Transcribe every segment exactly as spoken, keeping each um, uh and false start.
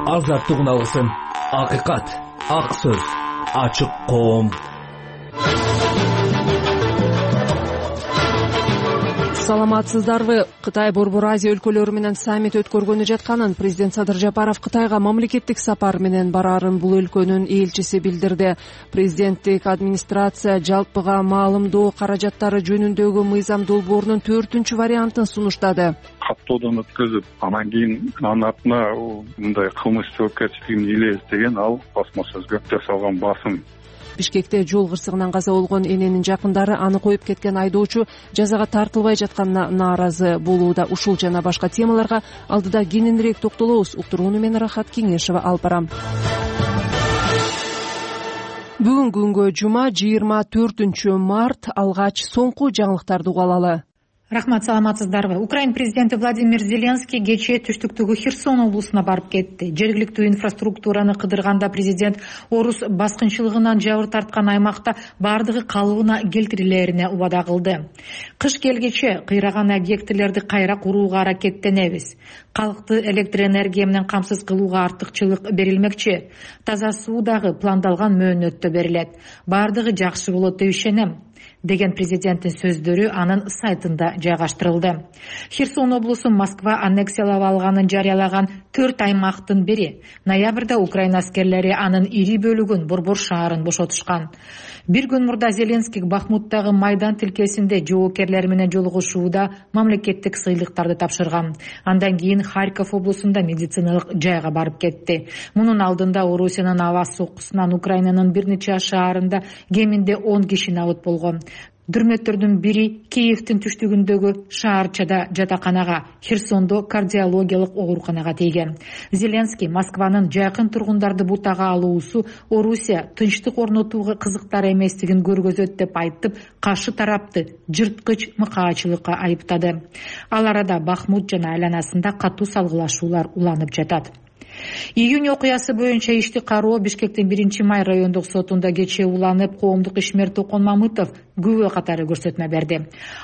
азаттыгын алсын. Акыйкат, ак сөз, ачык коом. Саламатсыздарбы? Кытай Борбор Азия өлкөлөрү менен саммит өткөргөнү жатканын президент Садыр Жапаров Кытайга мамлекеттик сапар менен бараарын бул өлкөнүн элчиси билдирди. Президенттик администрация жалпыга маалымдоо каражаттары жөнүндөгү мыйзам долбоорунун төртүнчү вариантын сунуштады. Каттоодон өткөзүп, анан кийин анын артына мындай кылмыш жоопкерчилигинээлейбиз деген ал басма сөзгө жасалган басым. Бишкекте жол кырсыгынан каза болгон эненин жакындары аны коюп кеткен айдоочу жазага тартылбай жатканына нааразы болууда. Ушул жана башка темаларга алдыда кененирээк токтолобуз. Уктурууну мен Рахат Кеңешова алып барам. Бүгүнкү күнгө жума жыйырма төртүнчү март алгач соңку жаңылыктарды уга алалы. Рахмат, саламатсыздарбы? Украин президенти Владимир Зеленский кечээ түштүктөгү Херсон облусуна барып кетти. Жергиликтүү инфраструктураны кыдырганда президент орус баскынчылыгынан жабыр тарткан аймакта бардыгы калыбына келтирилерине убада кылды. Кыш келгече кыйраган объектилерди кайра курууга аракеттенебиз. Калкты электр энергия менен камсыз кылууга артыкчылык берилмекчи. Таза суу дагы пландалган мөөнөттө берилет. Бардыгы жакшы болот деп ишенем, деген президенттин сөздөрү анын сайтында жайгаштырылды. Херсон облусун Москва аннексиялап алганын жарыялаган төрт аймактын бири. Ноябрда Украина аскерлери анын ири бөлүгүн, Борбор шаарын бошотушкан. Бир күн мурда Зеленский Бахмуттагы майдан тилкесинде жоокерлер менен жолугушууда мамлекеттик сыйлыктарды тапшырган. Андан кийин Харьков облусунда медициналык жайга барып кетти. Мунун алдында Орусиянын аба соккусунан Украинанын бир нече шаарында кеминде он киши набыт болгон. Дүрмөттөрдүн бири Киевдин түштүгүндөгү шаарчада жатаканага, Херсондо кардиологиялык ооруканага тийген. Зеленский Москванын жакын тургундарды бутага алуусу Орусия тынчтык орнотууга кызыктар эместигин көргөзөт деп айтып, каршы тарапты жырткыч мыкаачылыкка айыптады. Ал арада Бахмут жана айланасында катуу салгылашуулар уланып жатат. Июнь окуясы боюнча ишти кароо Бишкектин биринчи май райондук сотунда кечээ уланып, коомдук ишмер Токон Мамытов күбө катары көрсөтмө берди.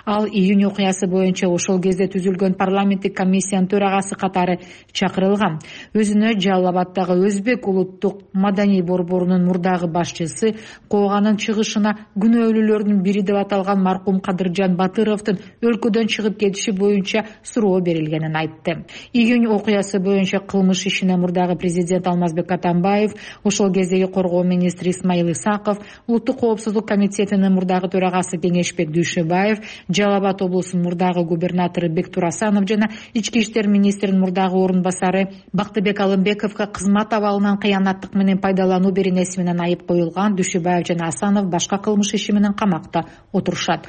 Ал июнь окуясы боюнча ошол кезде түзүлгөн парламенттик комиссиянын төрагасы катары чакырылган. Өзүнө Жалал Абаддагы Өзбек улуттук маданий борборунун мурдагы башчысы кооганын чыгышына күнөөлүүлөрдүн бири деп аталган маркум Кадыржан Батыровдун өлкөдөн чыгып кетиши боюнча суроо берилгенин айтты. Июнь окуясы боюнча кылмыш ишине мурдагы президент Алмазбек Атамбаев, ошол кездеги коргоо министри Исмаил Исаков, улуттук коопсуздук комитетинин мурдагы төрагасы Кеңешбек Дүйшөбаев, Жалал Абад облусунун мурдагы губернатору Бектур Асанов жана ички иштер министринин мурдагы орун басары Бактыбек Алымбековго кызмат абалынан кыянаттык менен пайдалануу беренеси менен айып коюлган. Дүйшөбаев жана Асанов башка кылмыш иши менен камакта отурушат.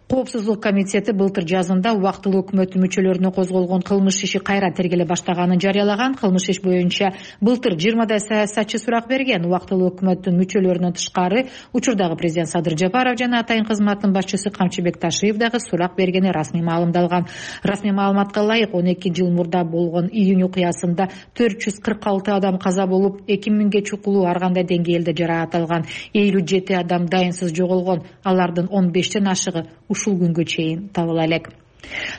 Коопсуздук комитети былтыр жазында убактылуу өкмөттүн мүчөлөрүнө козголгон кылмыш иши кайра тергеле баштаганын жарыялаган. Кылмыш иш боюнча былтыр жыйырмадай саясатчы сурак берген. Убактылуу өкмөттүн мүчөлөрүнөн тышкары учурдагы президент Садыр Жапаров жана атайын кызматтын башчысы Камчыбек Ташиев дагы сурак бергени расмий маалымдалган. Расмий маалыматка ылайык он эки жыл мурда болгон июнь окуясында төрт жүз кырк алты адам каза болуп, эки миңге чукулу ар кандай деңгээлде жараат алган. элүү жети адам дайынсыз жоголгон. Алардын он бештен ашыгы ушул күнгө чейин табыла элек.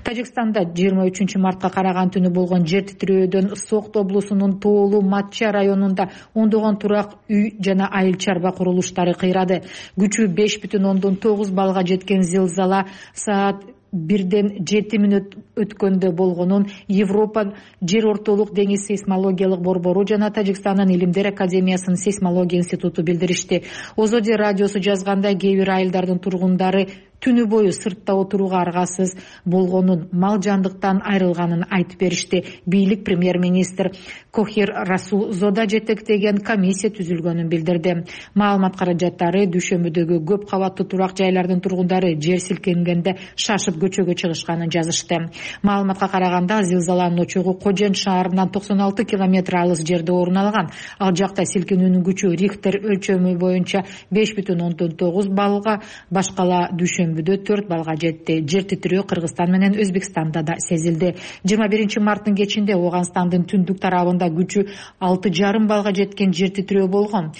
Тажикстанда жыйырма үчүнчү мартка караган түнү болгон жер титирөөдөн Сокт облусунун Тоолу Матча районунда ондогон турак үй жана айыл чарба курулуштары кыйрады. Күчү беш бүтүн ондон тогуз баллга жеткен зилзала саат бирден жети мүнөт өткөндө болгонун Европа жер ортолук деңиз сейсмологиялык борбору жана Тажикстандын Илимдер академиясынын сейсмология институту билдиришти. Озоди радиосу жазгандай, кээ бир айылдардын тургундары түнү бою сыртта отурууга аргасыз болгонун, мал жандыктан айрылганын айтып беришти. Бийлик премьер-министр Кохир Расул Зода жетектеген комиссия түзүлгөнүн билдирди. Маалымат каражаттары Дүйшөмбүдөгү көп кабаттуу турак жайлардын тургундары жер силкенгенде шашып көчөгө чыгышканын жазышты. Маалыматка караганда, зилзаланын очогу Кожен шаарынан токсон алты километр алыс жерде орун алган. Ал жакта силкинүүнүн күчү Рихтер өлчөмү боюнча беш бүтүн ондон тогуз баллга, башкала Дүйшөмбү дүйшөмбүдө төрт баллга жетти. Жер титирөө Кыргызстан менен Өзбекстанда да сезилди. жыйырма биринчи марттын кечинде Ооганстандын түндүк тарабында күчү алты жарым баллга жеткен жер титирөө болгон.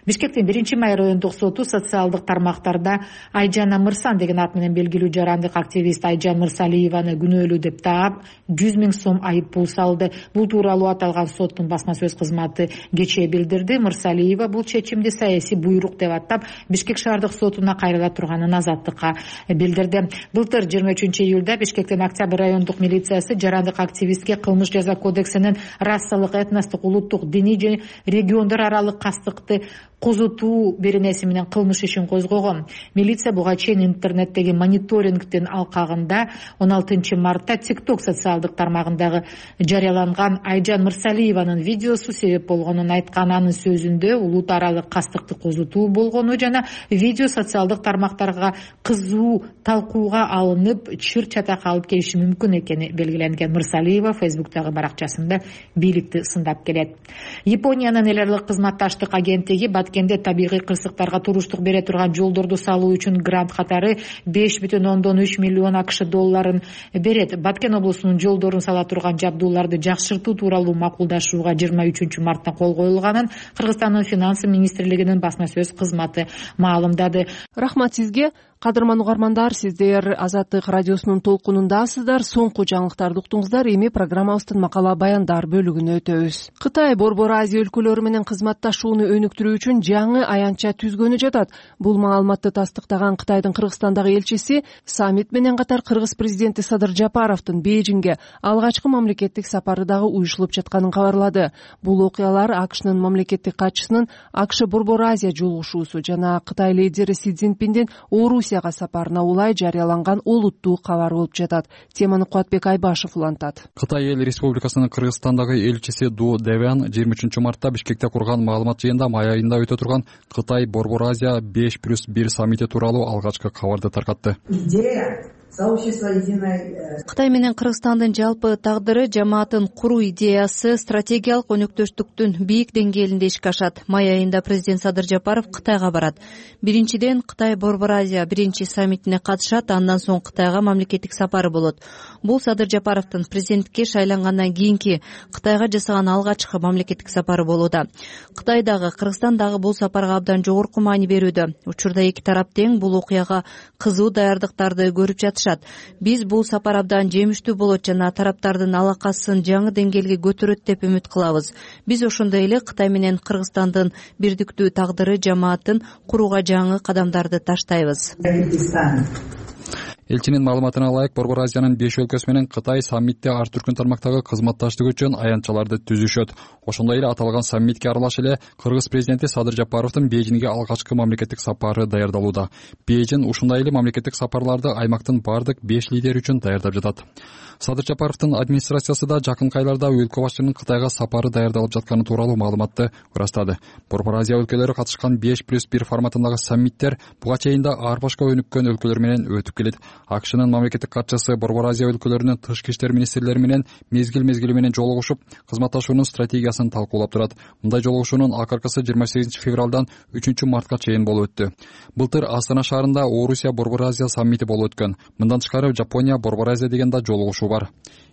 Бишкектин биринчи май райондук соту социалдык тармактарда Айжан Мырсан деген ат менен белгилүү жарандык активист Айжан Мырсалиеваны күнөөлүү деп таап, жүз миң сом айып пул салды. Бул тууралуу аталган соттун басма сөз кызматы кечээ билдирди. Мырсалиева бул чечимди саясий буйрук деп аттап, Бишкек шаардык сотуна кайрыла турганын Азаттыкка билдирди. Былтыр жыйырма үчүнчү июлда Бишкектин Октябрь райондук милициясы жарандык активистке кылмыш жаза кодексинин расалык, этностук, улуттук, диний же региондор аралык кастыкты козутуу беренеси менен кылмыш ишин козгогон. Милиция буга чейин интернеттеги мониторингдин алкагында он алтынчы мартта TikTok социалдык тармагындагы жарыяланган Айжан Мырсалиеванын видеосу себеп болгонун айткан. Анын сөзүндө улут аралык кастыкты козутуу болгону жана видео социалдык тармактарга кызуу талкууга алынып, чыр чатак алып келиши мүмкүн экени белгиленген. Мырсалиева Facebook'тагы баракчасында бийликти сындап келет. Япониянын эл аралык кызматташтык агенттиги Баткенде табигый кырсыктарга туруштук бере турган жолдорду салуу үчүн грант катары беш бүтүн ондон үч миллион акш долларын берет. Баткен облусунун жолдорун сала турган жабдууларды жакшыртуу тууралуу макулдашууга жыйырма үчүнчү мартта кол коюлганын Кыргызстандын финансы министрлигинин басма сөз кызматы маалымдады. Рахмат сизге. Кадырман угармандар, сиздер Азаттык радиосунун толкунундасыздар. Соңку жаңылыктарды уктуңуздар. Эми программабыздын макала баяндар бөлүгүнө өтөбүз. Кытай Борбор Азия өлкөлөрү менен кызматташууну өнүктүрүү үчүн жаңы аянтча түзгөнү жатат. Бул маалыматты тастыктаган Кытайдын Кыргызстандагы элчиси саммит менен катар Кыргыз президенти Садыр Жапаровдун Бейжиңге алгачкы мамлекеттик сапары дагы уюшулуп жатканын кабарлады. Бул окуялар АКШнын мамлекеттик катчысынын АКШ Борбор Азия жолугушуусу жана Кытай лидери Си Цзиньпиндин Орусия сапарына улай жарыяланган олуттуу кабар болуп жатат. Теманы Кубатбек Айбашев улантат. Кытай эл республикасынын Кыргызстандагы элчиси Ду Девян жыйырма үчүнчү мартта Бишкекте курган маалымат жыйынында май айында өтө турган Кытай Борбор Азия беш плюс бир саммити тууралуу алгачкы кабарды таркатты. Кытай менен Кыргызстандын жалпы тагдыры жамаатын куруу идеясы стратегиялык өнөктөштүктүн бийик деңгээлинде ишке ашат. Май айында президент Садыр Жапаров Кытайга барат. Биринчиден Кытай Борбор Азия биринчи саммитине катышат, андан соң Кытайга мамлекеттик сапары болот. Бул Садыр Жапаровдун президенттикке шайлангандан кийинки Кытайга жасаган алгачкы мамлекеттик сапары болууда. Кытай дагы Кыргызстан дагы бул сапарга абдан жогорку маани берүүдө. Учурда эки тарап тең бул окуяга кызуу даярдыктарды көрүп жатышат. Биз бул сапар абдан жемиштүү болот жана тараптардын алакасын жаңы деңгээлге көтөрөт деп үмүт кылабыз. Биз ошондой эле Кытай менен Кыргызстандын бирдиктүү тагдыры жамаатын курууга жаңы кадамдарды таштайбыз. Элчинин маалыматына ылайык, Борбор Азиянын беш өлкөсү менен Кытай саммитте ар түркүн тармактагы кызматташтык үчүн аянтчаларды түзүшөт. Ошондой эле аталган саммитке аралаш эле Кыргыз президенти Садыр Жапаровдун Бейжиңге алгачкы мамлекеттик сапары даярдалууда. Бейжиң ушундай эле мамлекеттик сапарларды аймактын бардык беш лидери үчүн даярдап жатат. Садыр Жапаровдун администрациясы да жакынкы айларда өлкө башчынын Кытайга сапары даярдалып жатканы тууралуу маалыматты ырастады. Борбор Азия өлкөлөрү катышкан беш плюс бир форматындагы саммиттер буга чейин да ар башка өнүккөн өлкөлөр менен өтүп келет. АКШнын мамлекеттик катчысы Борбор Азия өлкөлөрүнүн тышкы иштер министрлери менен мезгил-мезгили менен жолугушуп, кызматташуунун стратегиясын талкуулап турат. Мындай жолугушуунун акыркысы жыйырма сегизинчи февралдан үчүнчү мартка чейин болуп өттү. Былтыр Астана шаарында Орусия Борбор Азия саммити болуп өткөн. Мындан тышкары Жапония Борбор Азия деген да жолугушуу бар.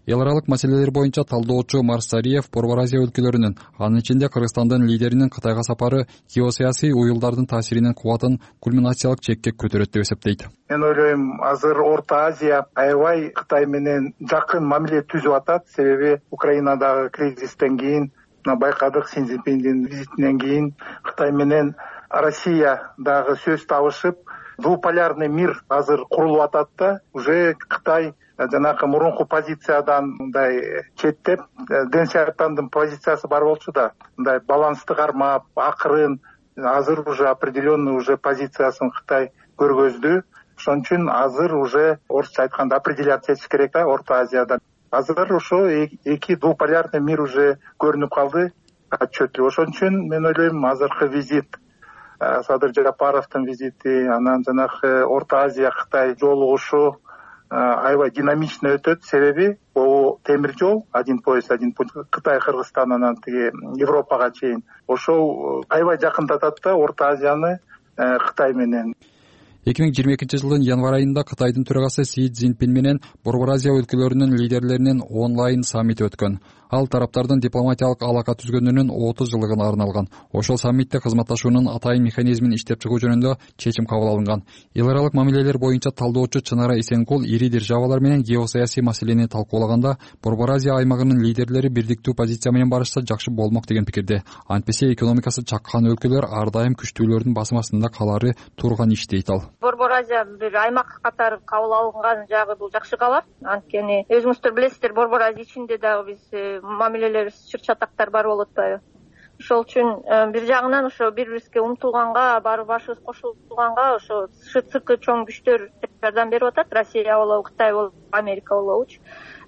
Эл аралык маселелер боюнча талдоочу Марсариев Борбор Азия өлкөлөрүнүн, анын ичинде Кыргызстандын лидеринин Кытайга сапары геосаясий уюлдардын таасиринин кубатын кульминациялык чекке көтөрөт деп эсептейт. Мен ойлойм, азыр Орто Азия аябай Кытай менен жакын мамиле түзүп атат. Себеби Украинадагы кризистен кийин, байкадык Си Цзиньпиндин визитинен кийин Кытай менен Россия дагы сөз табышып, двуполярный мир азыр курулуп атат да. Уже Кытай жанакы мурунку позициядан мындай четтеп, Дэн Сяопиндин позициясы бар болчу да, мындай балансты кармап, акырын, азыр уже определенный уже позициясын Кытай көргөздү. Ошон үчүн азыр уже орусча айтканда определяться этиш керек да Орто Азияда. Азыр ошо эки двуполярный мир уже көрүнүп калды отчетливо. Ошон үчүн мен ойлойм, азыркы визит, Садыр Жапаровдун визити, анан жанагы Орто Азия Кытай жолугушу аябай динамично өтөт. Себеби бул темир жол, один поезд, один путь, Кытай Кыргызстан анан тиги Европага чейин. Ошол аябай жакындатат да Орто Азияны Кытай менен. эки миң жыйырма экинчи жылдын январь айында Кытайдын төрагасы Си Цзиньпин менен Борбор Азия өлкөлөрүнүн лидерлеринин онлайн саммити өткөн. Ал тараптардын дипломатиялык алака түзгөнүнүн отуз жылдыгына арналган. Ошол саммитте кызматташуунун атайын механизмин иштеп чыгуу жөнүндө чечим кабыл алынган. Эл аралык мамилелер боюнча талдоочу Чынара Эсенкул ири державалар менен геосаясий маселени талкуулаганда Борбор Азия аймагынын лидерлери бирдиктүү позиция менен барышса жакшы болмок деген пикирде. Антпесе экономикасы чаккан өлкөлөр ар дайым күчтүүлөрдүн басым астында калары турган иш дейт ал. Борбор Азия бир аймак катары кабыл алынган жагы бул жакшы кабар. Анткени өзүңүздөр билесиздер, Борбор Азия ичинде дагы биз мамилелерибиз чыр-чатактар бар болуп атпайбы. Ошол үчүн бир жагынан ошо бири-бирибизге умтулганга, баары башыбыз кошулганга ошо сырткы чоң күчтөр жардам берип атат. Россия болобу, Кытай болобу, Америка болобучу.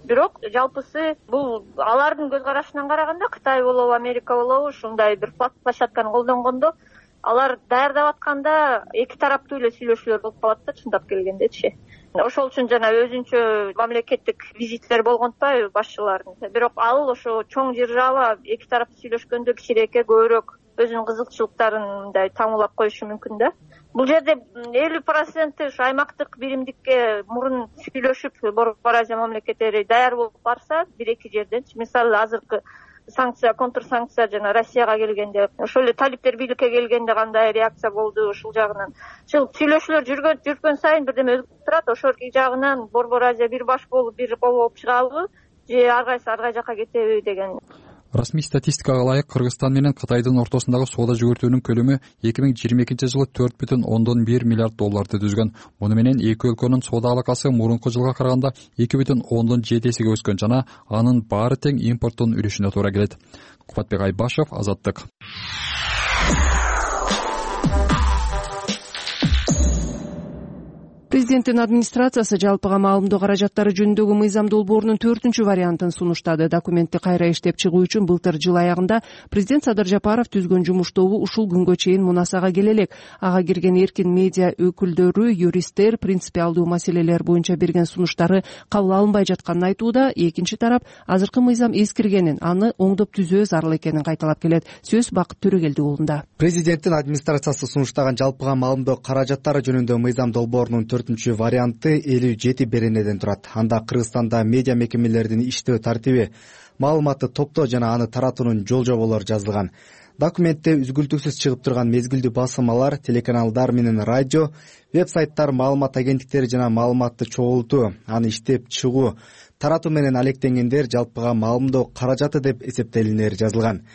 Бирок жалпысы бул алардын көз карашынан караганда Кытай болобу, Америка болобу ушундай бир площадканы колдонгондо алар даярдап атканда эки тараптуу эле сүйлөшүүлөр болуп калат да, чындап келгендечи. Ошол үчүн жана өзүнчө мамлекеттик визиттер болгон атпайбы башчылардын. Бирок ал ошо чоң держава эки тарап сүйлөшкөндө кичиреке көбүрөөк өзүнүн кызыкчылыктарын мындай таңуулап коюшу мүмкүн да. Бул жерде элүү проценти ушу аймактык биримдикке мурун сүйлөшүп Борбор Азия мамлекеттери даяр болуп барса, бир-эки жерден, мисалы азыркы санкция, контрсанкция жана Россияга келгенде, ошол эле талиптер бийликке келгенде кандай реакция болду, ушул жагынан. Ушул сүйлөшүүлөр жүргөн жүргөн сайын бирдеме өзгөрүп турат. Ошол жагынан Борбор Азия бир баш болуп, бир кол болуп чыгабы, же ар кайсы ар кай жакка кетеби деген. Расмий статистикага ылайык Кыргызстан менен Кытайдын ортосундагы соода жүгүртүүнүн көлөмү эки миң жыйырма экинчи жылы төрт бүтүн ондон бир миллиард долларды түзгөн. Муну менен эки өлкөнүн соода алакасы мурунку жылга караганда эки бүтүн ондон жети эсеге өскөн жана анын баары тең импорттун үлүшүнө туура келет. Кубатбек Айбашев, Азаттык. Президенттин администрациясы жалпыга маалымдоо каражаттары жөнүндөгү мыйзам долбоорунун төртүнчү вариантын сунуштады. Документти кайра иштеп чыгуу үчүн былтыр жыл аягында президент Садыр Жапаров түзгөн жумуш тобу ушул күнгө чейин мунасага келе элек. Ага кирген эркин медиа өкүлдөрү, юристтер принципиалдуу маселелер боюнча берген сунуштары кабыл алынбай жатканын айтууда. Экинчи тарап азыркы мыйзам эскиргенин, аны оңдоп түзөө зарыл экенин кайталап келет. Сөз Бакыт Төрөгелди уулунда. Президенттин администрациясы сунуштаган жалпыга маалымдоо каражаттары жөнүндө мыйзам долбоорунун төртүнчү варианты элүү жети беренеден турат. Анда Кыргызстанда медиа мекемелердин иштөө тартиби, маалыматты топтоо жана аны таратуунун жол жоболору жазылган. Документте үзгүлтүксүз чыгып турган мезгилдүү басылмалар, телеканалдар менен радио, веб-сайттар, маалымат агенттиктери жана маалыматты чогултуу, аны иштеп чыгуу, таратуу менен алектенгендер жалпыга маалымдоо каражаты деп эсептелинери жазылган.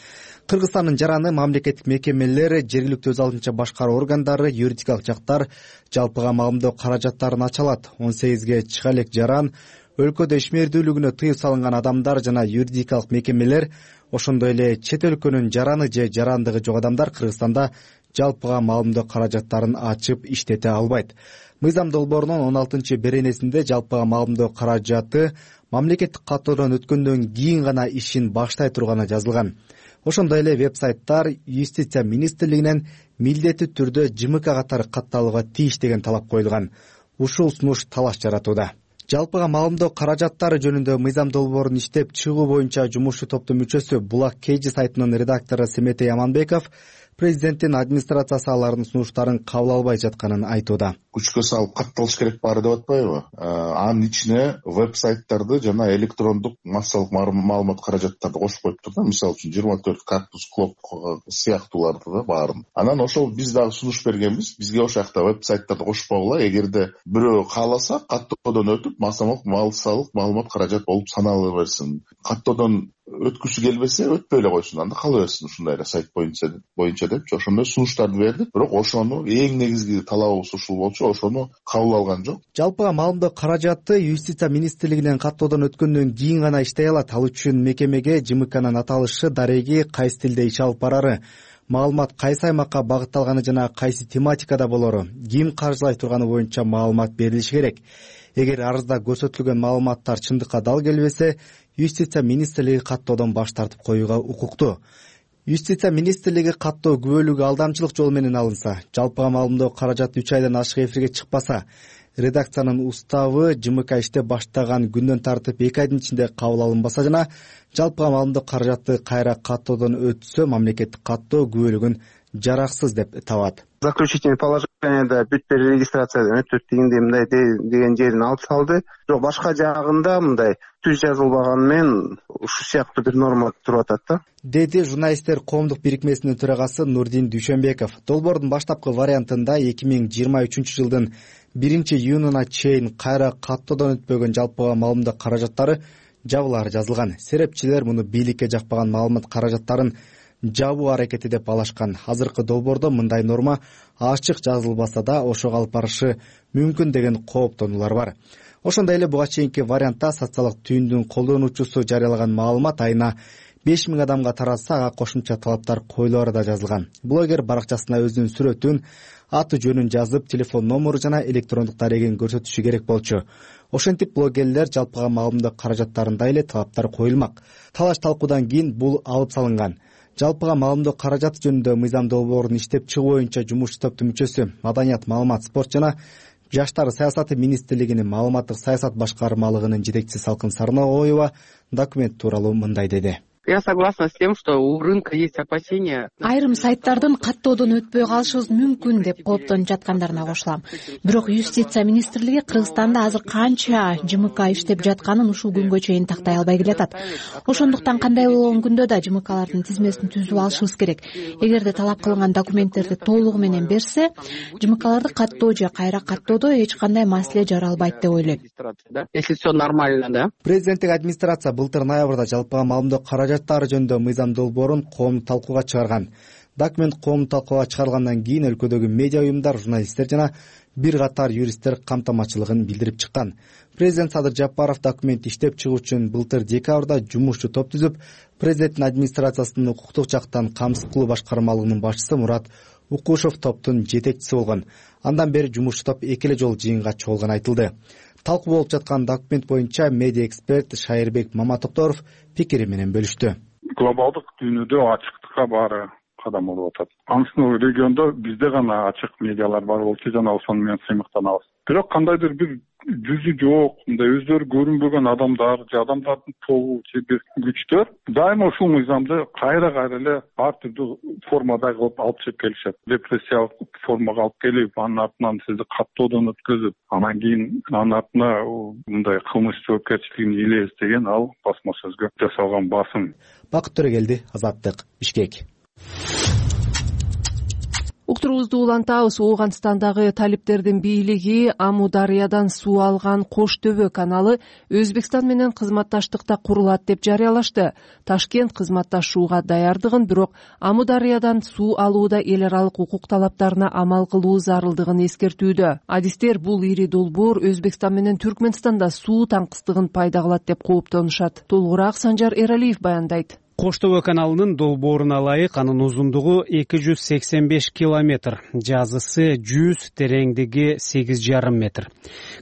Кыргызстандын жараны мамлекеттик мекемелер, жергиликтүү өз алдынча башкаруу органдары, юридикалык жактар жалпыга маалымдоо каражаттарын ача алат. он сегизге чыга элек жаран, өлкөдө ишмердүүлүгүнө тыюу салынган адамдар жана юридикалык мекемелер, ошондой эле чет өлкөнүн жараны же жарандыгы жок адамдар Кыргызстанда жалпыга маалымдоо каражаттарын ачып иштете албайт. Мыйзам долбоорунун он алтынчы беренесинде жалпыга маалымдоо каражаты мамлекеттик каттоодон өткөндөн кийин гана ишин баштай турганы жазылган. Ошондой эле веб-сайттар юстиция министрлигинен милдеттүү түрдө ЖМК катары катталууга тийиш деген талап коюлган. Ушул сунуш талаш жаратууда. Жалпыга маалымдоо каражаттары жөнүндө мыйзам долбоорун иштеп чыгуу боюнча жумушчу топтун мүчөсү Булак Кейджи сайтынын редактору Семетей Аманбеков президенттин администрациясы алардын сунуштарын кабыл албай жатканын айтууда. Күчкө салып катталыш керек баары деп атпайбы? Анын ичине веб-сайттарды жана электрондук массалык маалымат каражаттарды кошуп коюптур да, мисалы үчүн жыйырма төрт кактус клоп сыяктууларды да баарын. Анан ошол биз дагы сунуш бергенбиз. Бизге ошол жакта веб-сайттарды кошпогула, эгерде бирөө кааласа каттоодон өтүп массалык маалымат каражат болуп санала берсин. Каттоодон өткүсү келбесе өтпөй эле койсун, анда кала берсин ушундай эле сайт боюнча боюнча депчи. Ошондой сунуштарды бердик, бирок ошону эң негизги талабыбыз ушул болчу, ошону кабыл алган жок. Жалпыга маалымдоо каражаты юстиция министрлигинен каттоодон өткөндөн кийин гана иштей алат. Ал үчүн мекемеге ЖМКнын аталышы, дареги, кайсы тилде иш алып барары, маалымат кайсы аймакка багытталганы жана кайсы тематикада болору, ким каржылай турганы боюнча маалымат берилиши керек. Эгер арызда көрсөтүлгөн маалыматтар чындыкка дал келбесе, юстиция министрлиги каттоодон баш тартып коюуга укуктуу. Юстиция министрлиги каттоо күбөлүгү алдамчылык жол менен алынса, жалпыга маалымдоо каражаты үч айдан ашык эфирге чыкпаса, редакциянын уставы ЖМК иштеп баштаган күндөн тартып эки айдын ичинде кабыл алынбаса жана жалпыга маалымдоо каражаты кайра каттоодон өтсө, мамлекеттик каттоо күбөлүгүн жараксыз деп табат. Заключительное положениеда бүт бир регистрациядан өтөт дегенде мындай деген жерин алып салды. Жок, башка жагында мындай түз жазылбаган менен ушул сыяктуу бир норма туруп атат да, деди журналисттер коомдук бирикмесинин төрагасы Нурдин Дүйшөнбеков. Долбоордун баштапкы вариантында эки миң жыйырма үчүнчү жылдын биринчи июнуна чейин кайра каттоодон өтпөгөн жалпыга маалымдоо каражаттары жабылары жазылган. Серепчилер муну бийликке жакпаган маалымат каражаттарын жабуу аракети деп балашкан. Азыркы долбоордо мындай норма ачык жазылбаса да ошого алып барышы мүмкүн деген кооптонуулар бар. Ошондой эле буга чейинки вариантта социалдык түйүндүн колдонуучусу жарыялаган маалымат айына беш миң адамга таратса, ага кошумча талаптар коюлары да жазылган. Блогер баракчасына өзүнүн сүрөтүн, аты жөнүн жазып, телефон номуру жана электрондук дарегин көрсөтүшү керек болчу. Ошентип блогерлер жалпыга маалымдоо каражаттарында эле талаптар коюлмак. Талаш талкуудан кийин бул алып салынган. Жалпыга маалымдоо каражаты жөнүндө мыйзам долбоорун иштеп чыгуу боюнча жумушчу топтун мүчөсү, Маданият, маалымат, спорт жана Жаштар саясаты министрлигинин маалыматтык саясат башкармалыгынын жетекчиси Салкын Сарнообоева документ тууралуу мындай деди. Я согласна с тем, что у рынка есть опасения. Айрым сайттардын каттоодон өтпөй калышыбыз мүмкүн деп кооптонуп жаткандарына кошулам. Бирок юстиция министрлиги Кыргызстанда азыр канча ЖМК иштеп жатканын ушул күнгө чейин тактай албай келатат. Ошондуктан кандай болгон күндө да ЖМКлардын тизмесин түзүп алышыбыз керек. Эгерде талап кылынган документтерди толугу менен берсе, ЖМКларды каттоо же кайра каттоодо эч кандай маселе жаралбайт деп ойлойм. Если все нормально, да? Президенттик администрация былтыр ноябрда жалпыга маалымдоо каражаты жөнүндө мыйзам долбоорун коомдук талкууга чыгарган. Документ коомдук талкууга чыгарылгандан кийин өлкөдөгү медиа уюмдар, журналисттер жана бир катар юристтер камтамачылыгын билдирип чыккан. Президент Садыр Жапаров документ иштеп чыгуу үчүн былтыр декабрда жумушчу топ түзүп, президенттин администрациясынын укуктук жактан камсыз кылуу башкармалыгынын башчысы Мурат Укушев топтун жетекчиси болгон. Андан бери жумушчу топ эки эле жолу жыйынга чогулганы айтылды. Талкуу болуп жаткан документ боюнча медиа эксперт Шайырбек Маматокторов пикири менен бөлүштү. Глобалдык дүйнөдө ачыктыкка баары кадам болуп атат. Анысынуу региондо бизде гана ачык медиалар бар болчу, жана ошону менен сыймыктанабыз. Бирок кандайдыр бир жүзү жок, мындай өздөрү көрүнбөгөн адамдар же адамдардын тобу же бир күчтөр дайыма ушул мыйзамды кайра кайра эле ар түрдүү формада кылып алып чыгып келишет. Репрессиялык формага алып келип, анын артынан сизди каттоодон өткөзүп, анан кийин анын артына мындай кылмыш жоопкерчилигин илебиз деген ал басма сөзгө жасалган басым. Бакыт Төрөгелди, Азаттык, Бишкек. Уктуруубузду улантабыз. Ооганстандагы талиптердин бийлиги Аму дарыядан суу алган Кош Төбө каналы Өзбекстан менен кызматташтыкта курулат деп жарыялашты. Ташкент кызматташууга даярдыгын, бирок Аму дарыядан суу алууда эл аралык укук талаптарына амал кылуу зарылдыгын эскертүүдө. Адистер бул ири долбоор Өзбекстан менен Түркмөнстанда суу таңкыстыгын пайда кылат деп кооптонушат. Толугураак Санжар Эралиев баяндайт. Кош Төбө каналынын долбооруна ылайык анын узундугу эки жүз сексен беш километр, жазысы жүз, тереңдиги сегиз жарым метр.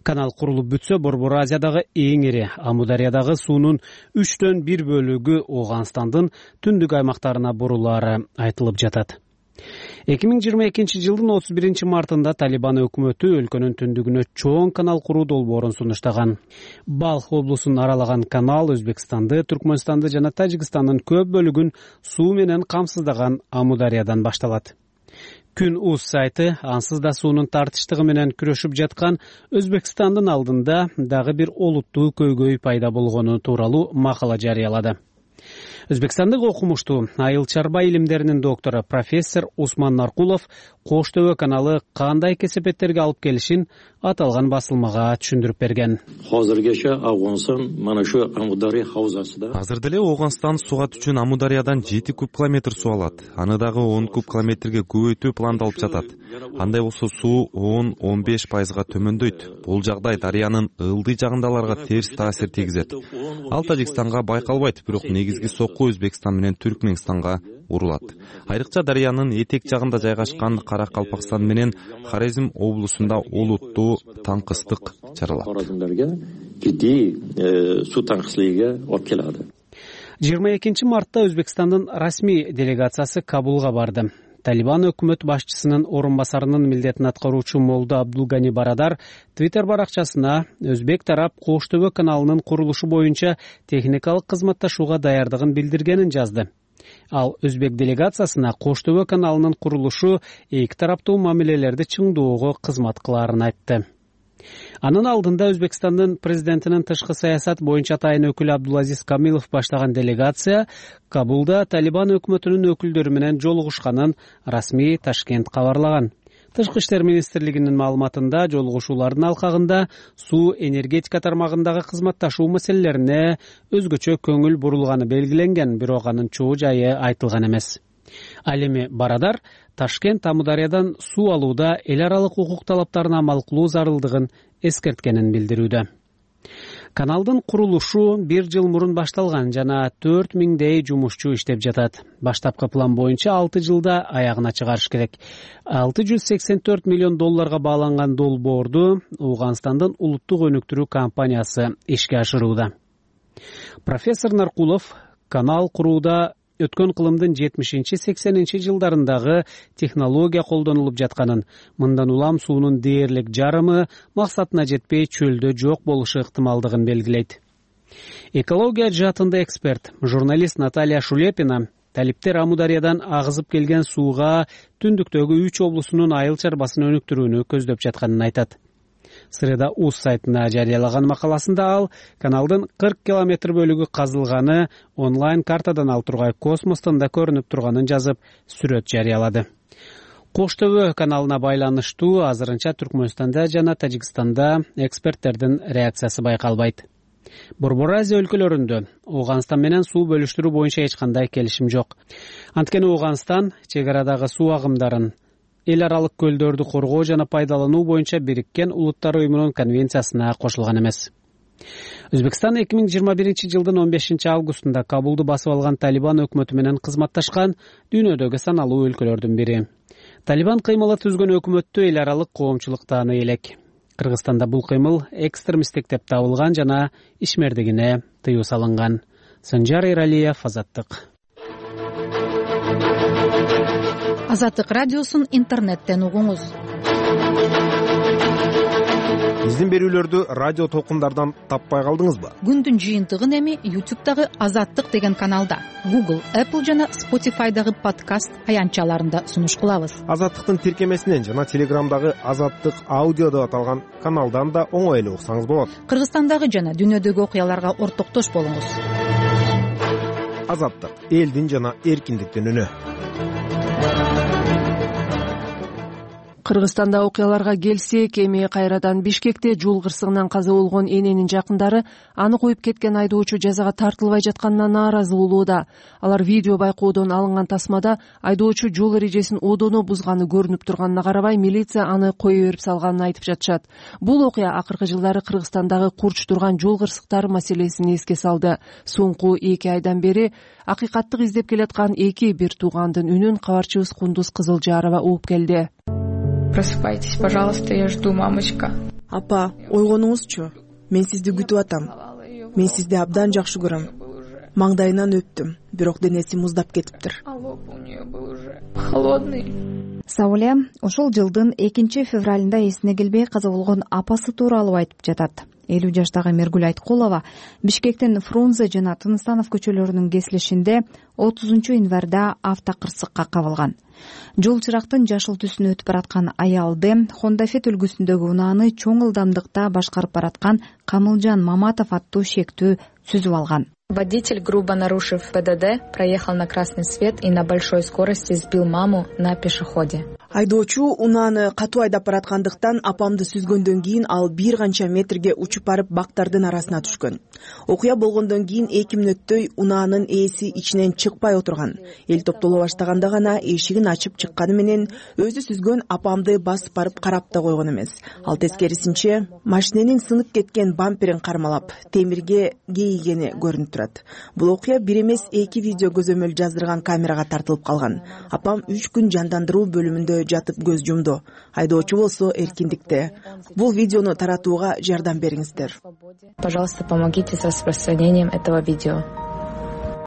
Канал курулуп бүтсө, Борбор Азиядагы эң ири Аму дарыядагы суунун үчтөн бир бөлүгү Ооганстандын түндүк аймактарына бурулаары айтылып жатат. эки миң жыйырма экинчи жылдын отуз биринчи мартында Талибан өкмөтү өлкөнүн түндүгүнө чоң канал куруу долбоорун сунуштаган. Балх облусун аралаган канал Өзбекстанды, Түркмөнстанды жана Тажикстандын көп бөлүгүн суу менен камсыздаган Аму дарыядан башталат. Күн уз сайты ансыз да суунун тартыштыгы менен күрөшүп жаткан Өзбекстандын алдында дагы бир олуттуу көйгөй пайда болгону тууралуу макала жарыялады. Өзбекстандык окумуштуу, айыл чарба илимдеринин доктору профессор Усман Наркулов Кош Төбө каналы кандай кесепеттерге алып келишин аталган басылмага түшүндүрүп берген. Азыргече Афгансtan мана шу Аму дарыя хавзасында азыр деле Ооганстан сугат үчүн Аму дарыядан жети куб километр суу алат. Аны дагы он куб километрге көбөйтүү пландалып жатат. Андай болсо суу он — он беш пайызга төмөндөйт. Бул жагдай дарыянын ылдый жагындаларга терс таасир тийгизет. Ал Тажикстанга байкалбайт, бирок негизги сокку Өзбекстан менен Түркмөнстанга урулат. Айрыкча дарыянын этек жагында жайгашкан Каракалпакстан менен Хорезм облусунда олуттуу таңкыстык жаралат. Суу таңкыстыгы алып келет. жыйырма экинчи мартта Өзбекстандын расмий делегациясы Кабулга барды. Талибан өкмөт башчысынын орун басарынын милдетин аткаруучу Молда Абдулгани Барадар Твиттер баракчасына Өзбек тарап Кош Төбө каналынын курулушу боюнча техникалык кызматташууга даярдыгын билдиргенин жазды. Ал өзбек делегациясына Кош төбө каналынын курулушу эки тараптуу мамилелерди чыңдоого кызмат кылаарын айтты. Анын алдында Өзбекстандын президентинин тышкы саясат боюнча тайын өкүлү Абдулазиз Камилов баштаган делегация Кабулда Талибан өкмөтүнүн өкүлдөрү менен жолугушканын расмий Ташкент кабарлаган. Тышкы иштер министрлигинин маалыматында жолугушуулардын алкагында суу энергетика тармагындагы кызматташуу маселелерине өзгөчө көңүл бурулганы белгиленген, бирок анын чоо жайы айтылган эмес. Ал эми Барадар Ташкент Амудариядан суу алууда эл аралык укук талаптарына амал кылуу зарылдыгын эскерткенин билдирүүдө. Каналдын курулушу бир жыл мурун башталган жана төрт миңдей жумушчу иштеп жатат. Баштапкы план боюнча алты жылда аягына чыгарыш керек. алты жүз сексен төрт миллион долларга бааланган долбоорду Ооганстандын улуттук өнүктүрүү компаниясы ишке ашырууда. Профессор Наркулов канал курууда өткөн кылымдын жетимишинчи сексенинчи жылдарындагы технология колдонулуп жатканын, мындан улам суунун дээрлик жарымы максатына жетпей чөлдө жок болушу ыктымалдыгын белгилейт. Экология жаатында эксперт, журналист Наталья Шулепина талиптер Амудариядан агызып келген сууга түндүктөгү үч облусунун айыл чарбасын өнүктүрүүнү көздөп жатканын айтат. Среда УЗ сайтына жарыялаган макаласында ал каналдын кырк километр бөлүгү казылганы, онлайн картадан ал тургай космостон да көрүнүп турганын жазып, сүрөт жарыялады. Кош төбө каналына байланыштуу азырынча Түркмөнстанда жана Тажикстанда эксперттердин реакциясы байкалбайт. Борбор Азия өлкөлөрүндө Ооганстан менен суу бөлүштүрүү боюнча эч кандай келишим жок. Анткени Ооганстан чек арадагы суу агымдарын, эл аралык көлдөрдү коргоо жана пайдалануу боюнча Бириккен Улуттар уюмунун конвенциясына кошулган эмес. Өзбекстан эки миң жыйырма биринчи жылдын он бешинчи августунда Кабулду басып алган Талибан өкмөтү менен кызматташкан дүйнөдөгү саналуу өлкөлөрдүн бири. Талибан кыймылы түзгөн өкмөттү эл аралык коомчулук тааны элек. Кыргызстанда бул кыймыл экстремисттик деп табылган жана ишмердигине тыюу салынган. Санжар Эралиев, Азаттык. Азаттык радиосун интернеттен угуңуз. Биздин берүүлөрдү радио толкундардан таппай калдыңызбы? Күндүн жыйынтыгын эми ютубтагы Азаттык деген каналда, Google, Apple жана Spotify'дагы подкаст аянтчаларында сунуш кылабыз. Азаттыктын тиркемесинен жана Телеграмдагы Азаттык аудио деп аталган каналдан да оңой эле уксаңыз болот. Кыргызстандагы жана дүйнөдөгү окуяларга ортоктош болуңуз. Азаттык, элдин жана эркиндиктин үнү. Кыргызстанда окуяларга келсек, эми кайрадан Бишкекте жол кырсыгынан каза болгон эненин жакындары аны коюп кеткен айдоочу жазага тартылбай жатканына нааразы болууда. Алар видео байкоодон алынган тасмада айдоочу жол эрежесин одоно бузганы көрүнүп турганына карабай, милиция аны кое берип салганын айтып жатышат. Бул окуя акыркы жылдары Кыргызстандагы курч турган жол кырсыктары маселесин эске салды. Соңку эки айдан бери акыйкаттык издеп келаткан эки бир туугандын үнүн кабарчыбыз Кундуз Кызылжарова угуп келди. Просыпайтесь, пожалуйста, я жду, мамочка. Апа, ойгонуңузчу. Мен сизди күтүп атам. Мен сизди абдан жакшы көрөм. Маңдайынан өптүм, бирок денеси муздап кетиптир. Холодный. Сауле ушул жылдын экинчи февралында эсине келбей каза болгон апасы тууралуу айтып жатат. элүү жаштагы Мергүл Айткулова Бишкектин Фрунзе жана Тыныстанов көчөлөрүнүн кесилишинде отузунчу январда автокырсыкка кабылган. Жол чырактын жашыл түсүн өтүп бараткан аялды Honda Fit үлгүсүндөгү унааны чоң ылдамдыкта башкарып бараткан Камылжан Маматов аттуу шектүү сүзүп алган. Водитель, грубо нарушив ПДД, проехал на красный свет и на большой скорости сбил маму на пешеходе. Айдоочу унааны катуу айдап бараткандыктан апамды сүзгөндөн кийин ал бир канча метрге учуп барып бактардын арасына түшкөн. Окуя болгондон кийин эки мүнөттөй унаанын ээси ичинен чыкпай отурган. Эл топтоло баштаганда гана эшигин ачып чыкканы менен өзү сүзгөн апамды басып барып карап да койгон эмес. Ал тескерисинче машиненин сынып кеткен бамперин кармалап, темирге кейигени көрүнүп турат. Бул окуя бир эмес эки видео көзөмөл жаздырган камерага тартылып калган. Апам үч күн жандандыруу бөлүмүндө жатып көз жумду. Айдоочу болсо эркиндикте. Бул видеону таратууга жардам бериңиздер. Пожалуйста, помогите с распространением этого видео.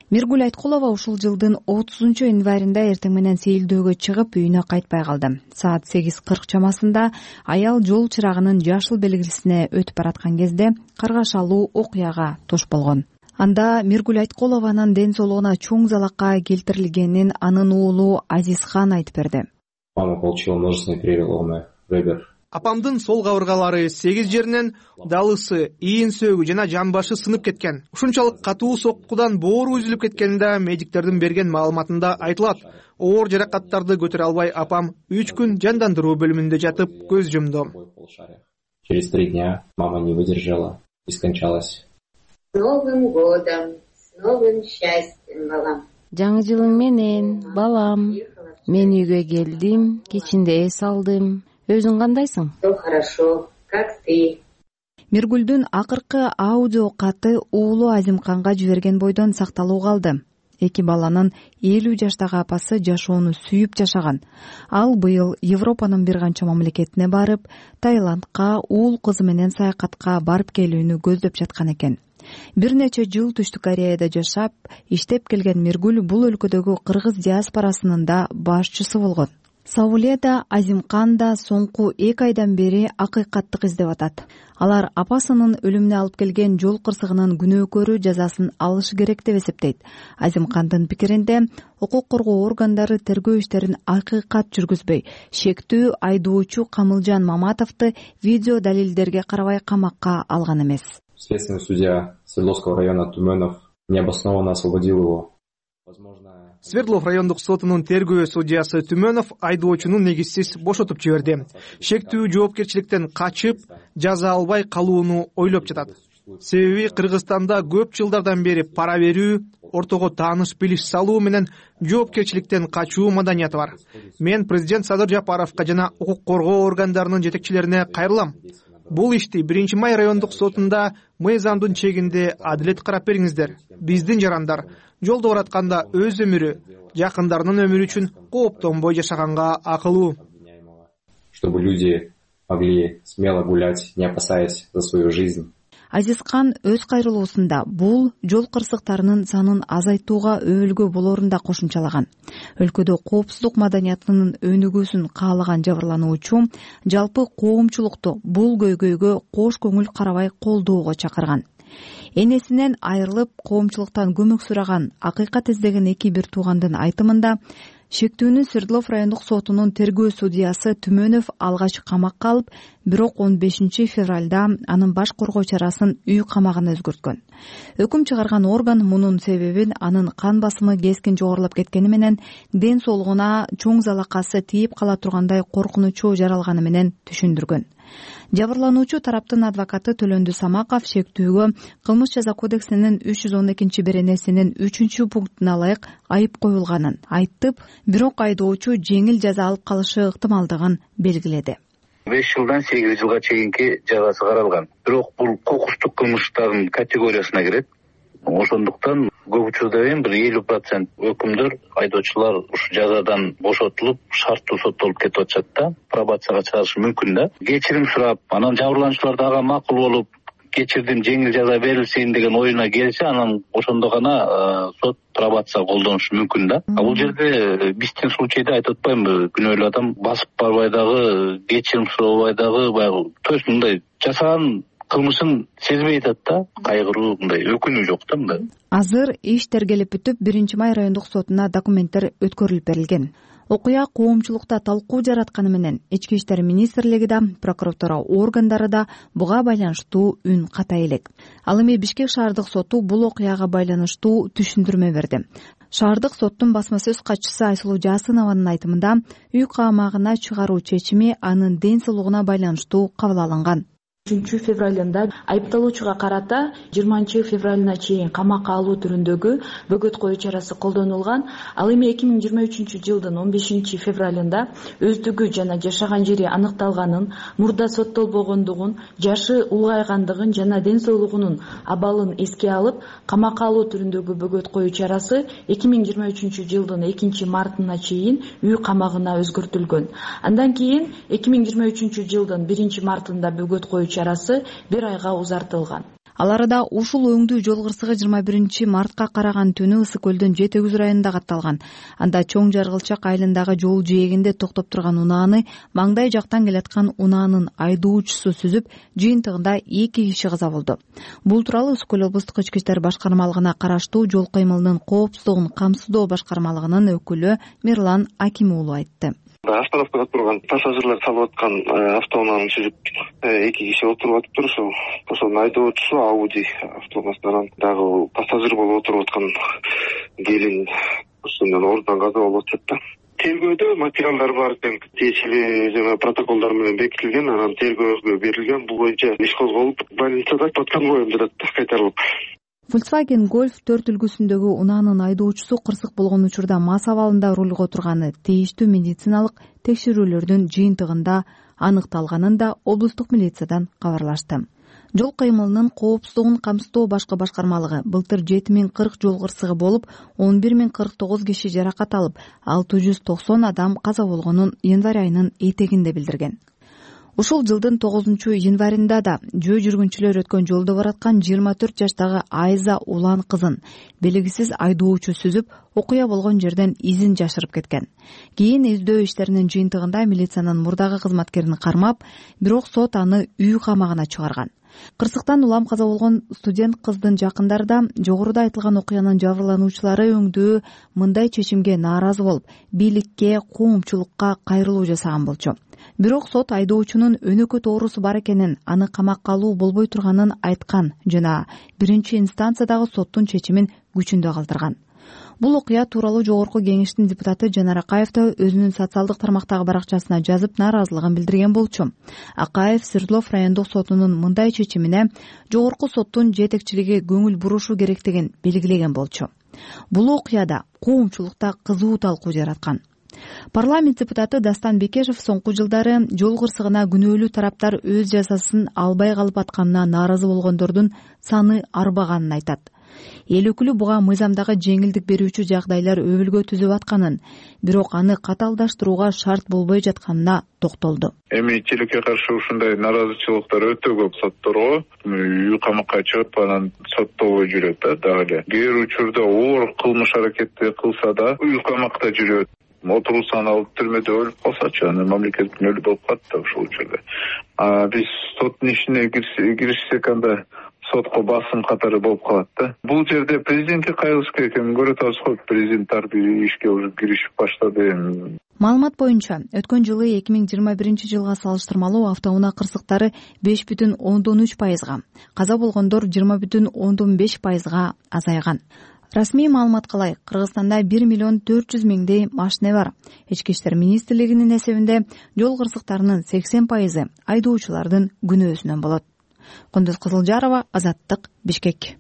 Мергүл Айткулова ушул жылдын отузунчу январында эртең менен сейилдөөгө чыгып, үйүнө кайтпай калды. Саат сегиз кырк чамасында аял жол чырагынын жашыл белгисине өтүп бараткан кезде каргашалуу окуяга туш болгон. Анда Миргүл Айткулованын ден соолугуна чоң залака келтирилгенин анын уулу Азизхан айтып берди. Мама получила множественные переломы ребер. Апамдын сол кабыргалары сегиз жеринен далысы, ийин сөөгү жана жамбашы сынып кеткен. Ушунчалык катуу соккудан боору үзүлүп кеткенинде медиктердин берген маалыматында айтылат. Оор жаракаттарды көтөрө албай апам үч күн жандандыруу бөлүмүндө жатып көз жумду. Через три дня мама не выдержала и скончалась. С Новым годом, с новым счастьем, балам. Жаңы жылың менен, балам. Мен үйгө келдим, кичинде эс алдым. Өзүң кандайсың? Все хорошо, как ты? Миргүлдүн акыркы аудио каты уулу Азимканга жиберген бойдон сакталуу калды. Эки баланын элүү жаштагы апасы жашоону сүйүп жашаган. Ал быйыл Европанын бир канча мамлекетине барып, Таиландка уул кызы менен саякатка барып келүүнү көздөп жаткан экен. Бир нече жыл Түштүк Кореяда жашап, иштеп келген Миргүл бул өлкөдөгү кыргыз диаспорасынын да башчысы болгон. Сауле да, Азимкан да соңку эки айдан бери акыйкаттык издеп атат. Алар апасынын өлүмүнө алып келген жол кырсыгынын күнөөкөрү жазасын алышы керек деп эсептейт. Азимкандын пикиринде, укук коргоо органдары тергөө иштерин акыйкат жүргүзбөй, шектүү айдоочу Камылжан Маматовду видео далилдерге карабай камакка алган эмес. Следственный судья Свердловского района Туменов необоснованно освободил его. Свердлов райондук сотунун тергөө судьясы Түмөнов айдоочуну негизсиз бошотуп жиберди. Шектүү жоопкерчиликтен качып, жаза албай калууну ойлоп жатат. Себеби Кыргызстанда көп жылдардан бери пара берүү, ортого тааныш билиш салуу менен жоопкерчиликтен качуу маданияты бар. Мен президент Садыр Жапаровго жана укук коргоо органдарынын жетекчилерине кайрылам. Бул ишти биринчи май райондук сотунда мыйзамдын чегинде адилет карап бериңиздер. Биздин жарандар жолдо баратканда өз өмүрү, жакындарынын өмүрү үчүн кооптонбой жашаганга акылуу. Чтобы люди могли смело гулять, не опасаясь за свою жизнь. Азизхан өз кайрылуусунда бул жол кырсыктарынын санын азайтууга өбөлгө болорун да кошумчалаган. Өлкөдө коопсуздук маданиятынын өнүгүүсүн каалаган жабырлануучу жалпы коомчулукту бул көйгөйгө кош көңүл карабай колдоого чакырган. Энесинен айрылып коомчулуктан көмөк сураган, акыйкат издеген эки бир туугандын айтымында шектүүнү Свердлов райондук сотунун тергөө судьясы Түмөнов алгач камакка алып, бирок он бешинчи февралда анын баш коргоо чарасын үй камагына өзгөрткөн. Өкүм чыгарган орган мунун себебин анын кан басымы кескин жогорулап кеткени менен ден соолугуна чоң залакасы тийип кала тургандай коркунучу жаралганы менен түшүндүргөн. Жабырлануучу тараптын адвокаты Төлөндү Самаков шектүүгө кылмыш жаза кодексинин үч жүз он экинчи беренесинин үчүнчү пунктуна ылайык айып коюлганын айтып, бирок айдоочу жеңил жаза алып калышы ыктымалдыгын белгиледи. беш жылдан сегиз жылга чейинки жазасы каралган. Бирок бул кокустук кылмыштардын категориясына кирет. Ошондуктан көп учурда эми бир элүү процент өкүмдөр айдоочулар ушу жазадан бошотулуп, шарттуу соттолуп кетип атышат да, пробацияга чыгарышы мүмкүн да. Кечирим сурап, анан жабырлануучулар дагы макул болуп, кечирдим, жеңил жаза берилсин деген оюна келсе, анан ошондо гана сот пробация колдонушу мүмкүн да. А бул жерде биздин случайда айтып атпаймынбы, күнөөлүү адам басып барбай дагы, кечирим сурабай дагы, баягы то есть мындай жасаган кылмышын сезбей атат да, кайгыруу, мындай өкүнүү жок да мындай. Азыр иш тергелип бүтүп, биринчи май райондук сотуна документтер өткөрүлүп берилген. Окуя коомчулукта талкуу жаратканы менен Ички иштер министрлиги да, прокуратура органдары да буга байланыштуу үн ката элек. Ал эми Бишкек шаардык соту бул окуяга байланыштуу түшүндүрмө берди. Шаардык соттун басма сөз катчысы Айсулуу Жасынованын айтымында, үй камагына чыгаруу чечими анын ден соолугуна байланыштуу кабыл алынган. үчүнчү февралында айыпталуучуга карата жыйырманчы февралына чейин камакка алуу түрүндөгү бөгөт коюу чарасы колдонулган. Ал эми эки миң жыйырма үчүнчү жылдын он бешинчи февралында өздүгү жана жашаган жери аныкталганын, мурда соттолбогондугун, жашы улгайгандыгын жана ден соолугунун абалын эске алып, камакка алуу түрүндөгү бөгөт коюу чарасы эки миң жыйырма үчүнчү жылдын экинчи мартына чейин үй камагына өзгөртүлгөн. Андан кийин эки миң жыйырма үчүнчү жылдын биринчи мартында бөгөт коюу чарасы бир айга узартылган. Ал арада ушул өңдүү жол кырсыгы жыйырма биринчи мартка караган түнү Ысык көлдүн Жети Күз районунда катталган. Анда Чоң Жаргылчак айылындагы жол жээгинде токтоп турган унааны маңдай жактан келаткан унаанын айдоочусу сүзүп, жыйынтыгында эки киши каза болду. Бул тууралуу Ысык көл облустук ички иштер башкармалыгына караштуу жол кыймылынын коопсуздугун камсыздоо башкармалыгынын өкүлү Мирлан Аким уулу айтты. Остановкада турган пассажирлер салып аткан автоунааны сүзүп эки киши отуруп атыптыр. Ошол ошонун айдоочусу Ауди автоунаасынан дагы пассажир болуп отуруп аткан келин ушундан ордудан каза болуп атат да. Тергөөдө материалдар бар экен, тиешелүү жана протоколдор менен бекитилген, анан тергөөгө берилген. Бул боюнча иш козголуп, больницада подконвоем жатат кайтарылып. Volkswagen Golf төрт үлгүсүндөгү унаанын айдоочусу кырсык болгон учурда мас абалында рулга отурганы тийиштүү медициналык текшерүүлөрдүн жыйынтыгында аныкталганын да облустук милициядан кабарлашты. Жол кыймылынын коопсуздугун камсыздоо башкы башкармалыгы былтыр жети миң кырк жол кырсыгы болуп, он бир миң кырк тогуз киши жаракат алып, алты жүз токсон адам каза болгонун январь айынын этегинде билдирген. Ушул жылдын тогузунчу январында да жөө жүргүнчүлөр өткөн жолдо бараткан жыйырма төрт жаштагы Айза Улан кызын белгисиз айдоочу сүзүп, окуя болгон жерден изин жашырып кеткен. Кийин издөө иштеринин жыйынтыгында милициянын мурдагы кызматкерин кармап, бирок сот аны үй камагына чыгарган. Кырсыктан улам каза болгон студент кыздын жакындары да жогоруда айтылган окуянын жабырлануучулары өңдүү мындай чечимге нааразы болуп, бийликке, коомчулукка кайрылуу жасаган болчу. Бирок сот айдоочунун өнөкөт оорусу бар экенин, аны камакка алуу болбой турганын айткан жана биринчи инстанциядагы соттун чечимин күчүндө калтырган. Бул окуя тууралуу жогорку кеңештин депутаты Жанар Акаев да өзүнүн социалдык тармактагы баракчасына жазып нааразылыгын билдирген болчу. Акаев Свердлов райондук сотунун мындай чечимине жогорку соттун жетекчилиги көңүл бурушу керектигин белгилеген болчу. Бул окуяда коомчулукта кызуу талкуу жараткан. Парламент депутаты Дастан Бекешев соңку жылдары жол кырсыгына күнөөлүү тараптар өз жазасын албай калып атканына нааразы болгондордун саны арбаганын айтат. Эл өкүлү буга мыйзамдагы жеңилдик берүүчү жагдайлар өбүлгө түзүп атканын, бирок аны каталдаштырууга шарт болбой жатканына токтолду. Эми тилекке каршы ушундай нааразычылыктар өтө көп сотторго үй камакка чыгып анан соттобой жүрөт да дагы эле. Кээ бир учурда оор кылмыш аракетти кылса да үй камакта жүрөт. Отурулсан алып түрмөдө өлүп калсачы, анан мамлекеттин өлү болуп калат да ушул учурда. А биз соттун ишине киришсек анда сотко басым катары болуп калат да. Бул жерде президентке кайрылыш керек экен, көрүп атабыз го, президент ар бир ишке уже киришип баштады. Маалымат боюнча, өткөн жылы эки миң жыйырма биринчи жылга салыштырмалуу автоунаа кырсыктары беш бүтүн ондон үч пайызга, каза болгондор жыйырма бүтүн ондон беш пайызга азайган. Расмий маалыматка ылайык, Кыргызстанда бир миллион төрт жүз миңдей машина бар. Ички иштер министрлигинин эсебинде жол кырсыктарынын сексен пайызы айдоочулардын күнөөсүнөн болот. Кондоз Кызылжарова, Азаттык, Бишкек.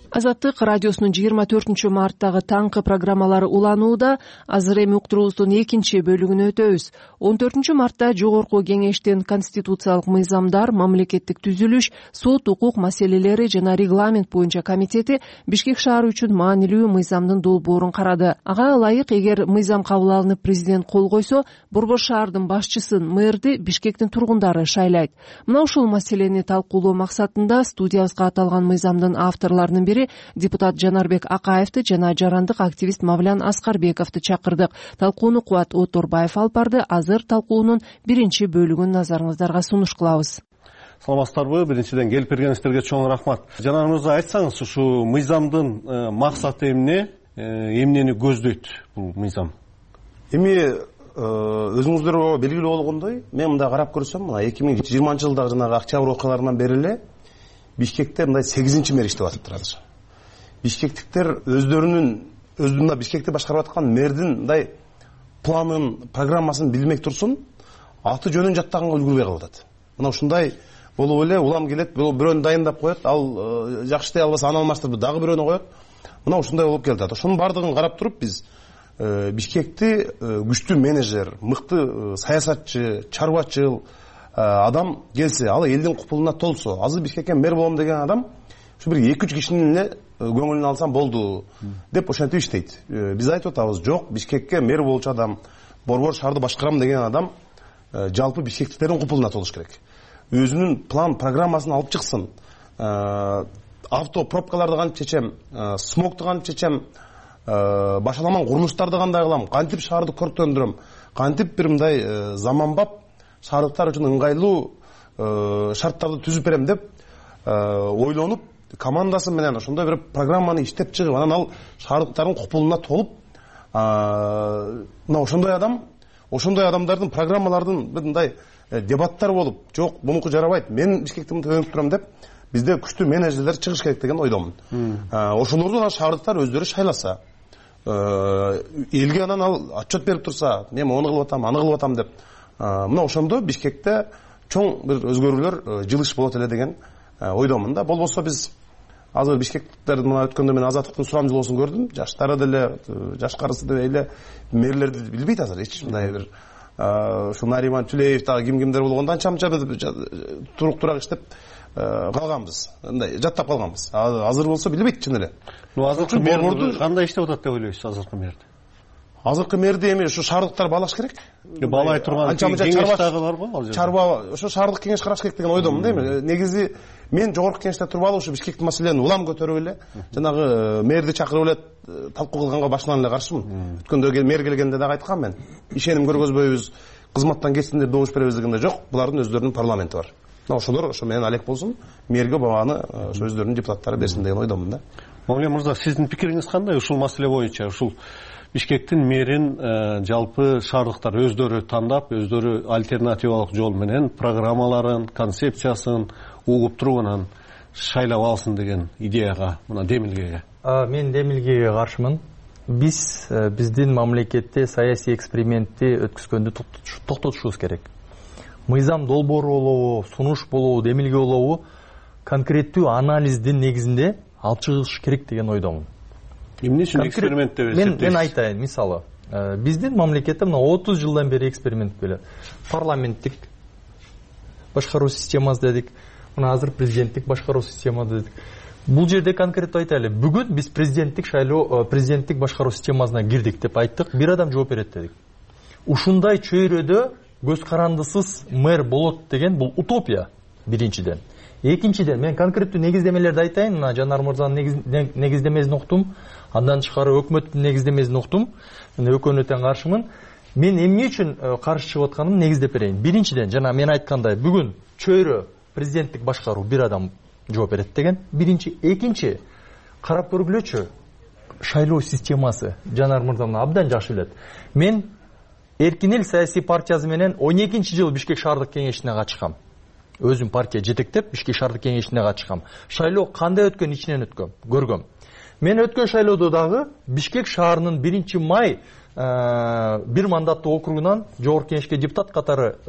Азаттык радиосунун жыйырма төртүнчү марттагы таңкы программалары уланууда. Азыр эми уктуруубуздун экинчи бөлүгүнө өтөбүз. он төртүнчү мартта жогорку кеңештин конституциялык мыйзамдар, мамлекеттик түзүлүш, сот укук маселелери жана регламент боюнча комитети Бишкек шаары үчүн маанилүү мыйзамдын долбоорун карады. Ага ылайык, эгер мыйзам кабыл алынып президент кол койсо, Борбор шаардын башчысын, мэрди Бишкектин тургундары шайлайт. Мына ушул маселени талкуулоо максатында студиябызга аталган мыйзамдын авторлорунун бири депутат Жанарбек Акаевди жана жарандык активист Мавлян Аскарбековду чакырдык. Талкууну Кубат Оторбаев алып барды. Азыр талкуунун биринчи бөлүгүн назарыңыздарга сунуш кылабыз. Саламатсыздарбы? Биринчиден келип бергениңиздерге чоң рахмат. Жанар мырза, айтсаңыз, ушу мыйзамдын максаты эмне, эмнени көздөйт бул мыйзам? Эми өзүңүздөр белгилүү болгондой, мен мындай карап көрсөм, мына эки миң жыйырманчы жылдагы жанагы октябрь окуяларынан бери эле Бишкекте мындай сегизинчи мэр иштеп атыптыр азыр. Бишкектиктер өздөрүнүн өзүндө Бишкекти башкарып аткан мэрдин мындай планын, программасын билмек турсун, аты жөнүн жаттаганга үлгүрбөй калып атат. Мына ушундай болуп эле улам келет, бирөөнү дайындап коет, ал жакшы дей албаса аны алмаштырып дагы бирөөнү коет. Мына ушундай болуп келатат. Ошонун бардыгын карап туруп биз Бишкекти күчтүү менеджер, мыкты саясатчы, чарбачыл адам келсе, ал элдин купулуна толсо, азыр Бишкекке мэр болом деген адам ушу бир эки үч кишинин эле көңүлүн алсам болду деп ошентип иштейт. Биз айтып атабыз, жок, Бишкекке мэр болчу адам, Борбор шаарды башкарам деген адам жалпы бишкектиктердин купулуна толуш керек. өзүнүн план программасын алып чыксын. Авто пробкаларды кантип чечем, смогту кантип чечем, башаламан курулуштарды кандай кылам, кантип шаарды көрктөндүрөм, кантип бир мындай заманбап шаардыктар үчүн ыңгайлуу шарттарды түзүп берем деп ойлонуп, командасы менен ошондой бир программаны иштеп чыгып, анан ал шаардыктардын купулуна толуп, мына ошондой адам, ошондой адамдардын программалардын бир мындай дебаттар болуп, жок, мунуку жарабайт, мен Бишкекти мынтип өнүктүрөм турам деп, бизде күчтүү менеджерлер чыгыш керек деген ойдомун. Ошолорду анан шаардыктар өздөрү шайласа, элге анан ал отчет берип турса, мен аны кылып атам, аны кылып атам деп, мына ошондо Бишкекте чоң бир өзгөрүүлөр, жылыш болот эле деген ойдомун да. Болбосо биз азыр бишкектиктердин мына өткөндө мен Азаттыктын сурам жылоосун көрдүм. Жаштары деле, жашкарысы деле мэрлерди билбейт азыр эч мындай бир ушу Нариман Түлеев дагы ким кимдер болгондо анча-мынча турук-тураак иштеп калганбыз. Мындай жаттап калганбыз. Азыр болсо билбейт чын эле. Ну азыркы мэр кандай иштеп атат деп ойлойсуз азыркы мэрди? Азыркы мэрди эми ушу шаардыктар баалаш керек. Баалай турган кеңеш дагы барбы ал жерде? Чарба, ошо шаардык кеңеш караш керек деген ойдомун да эми. Негизи мен жогорку кеңеште турбалуу ушу Бишкектин маселени улам көтөрүп эле, жанагы мэрди чакырып эле талкуу кылганга башынан эле каршымын. Өткөндө мэр келгенде дагы айткам мен. Ишеним көргөзбөйбүз, кызматтан кетсин деп добуш беребиз дегенде жок, булардын өздөрүнүн парламенти бар. Мына ошолор ошо менен алек болсун, мэрге бабаны ошо өздөрүнүн депутаттары берсин деген ойдомун да. Мамле мырза, сиздин пикириңиз кандай ушул маселе боюнча? Ушул Бишкектин мэрин жалпы шаардыктар өздөрү тандап, өздөрү альтернативалык жол менен программаларын, концепциясын угуп туруп анан шайлап алсын деген идеяга, мына демилгеге. Мен демилгеге каршымын. Биз биздин мамлекетте саясий экспериментти өткүзгөндү токтотушубуз керек. Мыйзам долбоору болобу, сунуш болобу, демилге болобу, конкреттүү анализдин негизинде алып чыгыш керек деген ойдомун. Эмне үчүн эксперимент деп эсептейсиз? Мен айтайын, мисалы, биздин мамлекетте мына отуз жылдан бери эксперимент келет. Парламенттик башкаруу системасы дедик, мына азыр президенттик башкаруу системасы дедик. Бул жерде конкреттүү айтайлы, бүгүн биз президенттик шайлоо, президенттик башкаруу системасына кирдик деп айттык, бир адам жооп берет дедик. Ушундай чөйрөдө көз карандысыз мэр болот деген бул утопия, биринчиден. Экинчиден, мен конкреттүү негиздемелерди айтайын. Мына Жанар мырзанын негиздемесин уктум, андан тышкары өкмөттүн негиздемесин уктум. Мен экөөнүнө тең каршымын. Мен эмне үчүн каршы чыгып атканымды негиздеп берейин. Биринчиден, жана мен айткандай, бүгүн чөйрө президенттик башкаруу бир адам жооп берет деген. Биринчи, экинчи, карап көргүлөчү, шайлоо системасы Жанар мырза абдан жакшы билет. Мен Эркин эл саясий партиясы менен он экинчи жылы Бишкек шаардык кеңешине катышкам. Өзүм партия жетектеп Бишкек шаардык кеңешине катышкам. Шайлоо кандай өткөн, ичинен өткөм, көргөм. Мен өткөн шайлоодо дагы Бишкек шаарынын биринчи май бир мандаттуу округунан жогорку кеңешке депутат катары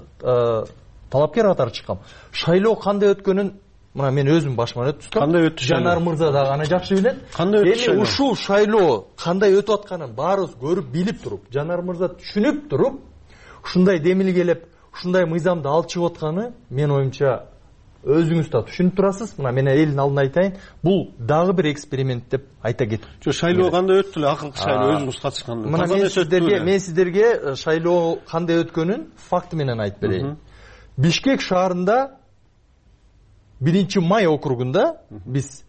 талапкер катары чыккам. Шайлоо кандай өткөнүн мына мен өзүм башыман өтүп турам. Кандай өттү шайлоо? Жанар мырза дагы аны жакшы билет. Кандай өттү шайлоо? Эми ушул шайлоо кандай өтүп атканын баарыбыз көрүп, билип туруп, Жанар мырза түшүнүп туруп, ушундай демилгелеп, ушундай мыйзамды алып чыгып атканы, мен оюмча өзүңүз да түшүнүп турасыз. Мына мен элдин алдына айтайын, бул дагы бир эксперимент деп айта кетип. Жо, шайлоо кандай өттү эле, акыркы шайлоо өзүңүз катышканда? Мына мен сиздерге, мен сиздерге шайлоо кандай өткөнүн факты менен айтып берейин. Бишкек шаарында биринчи май округунда биз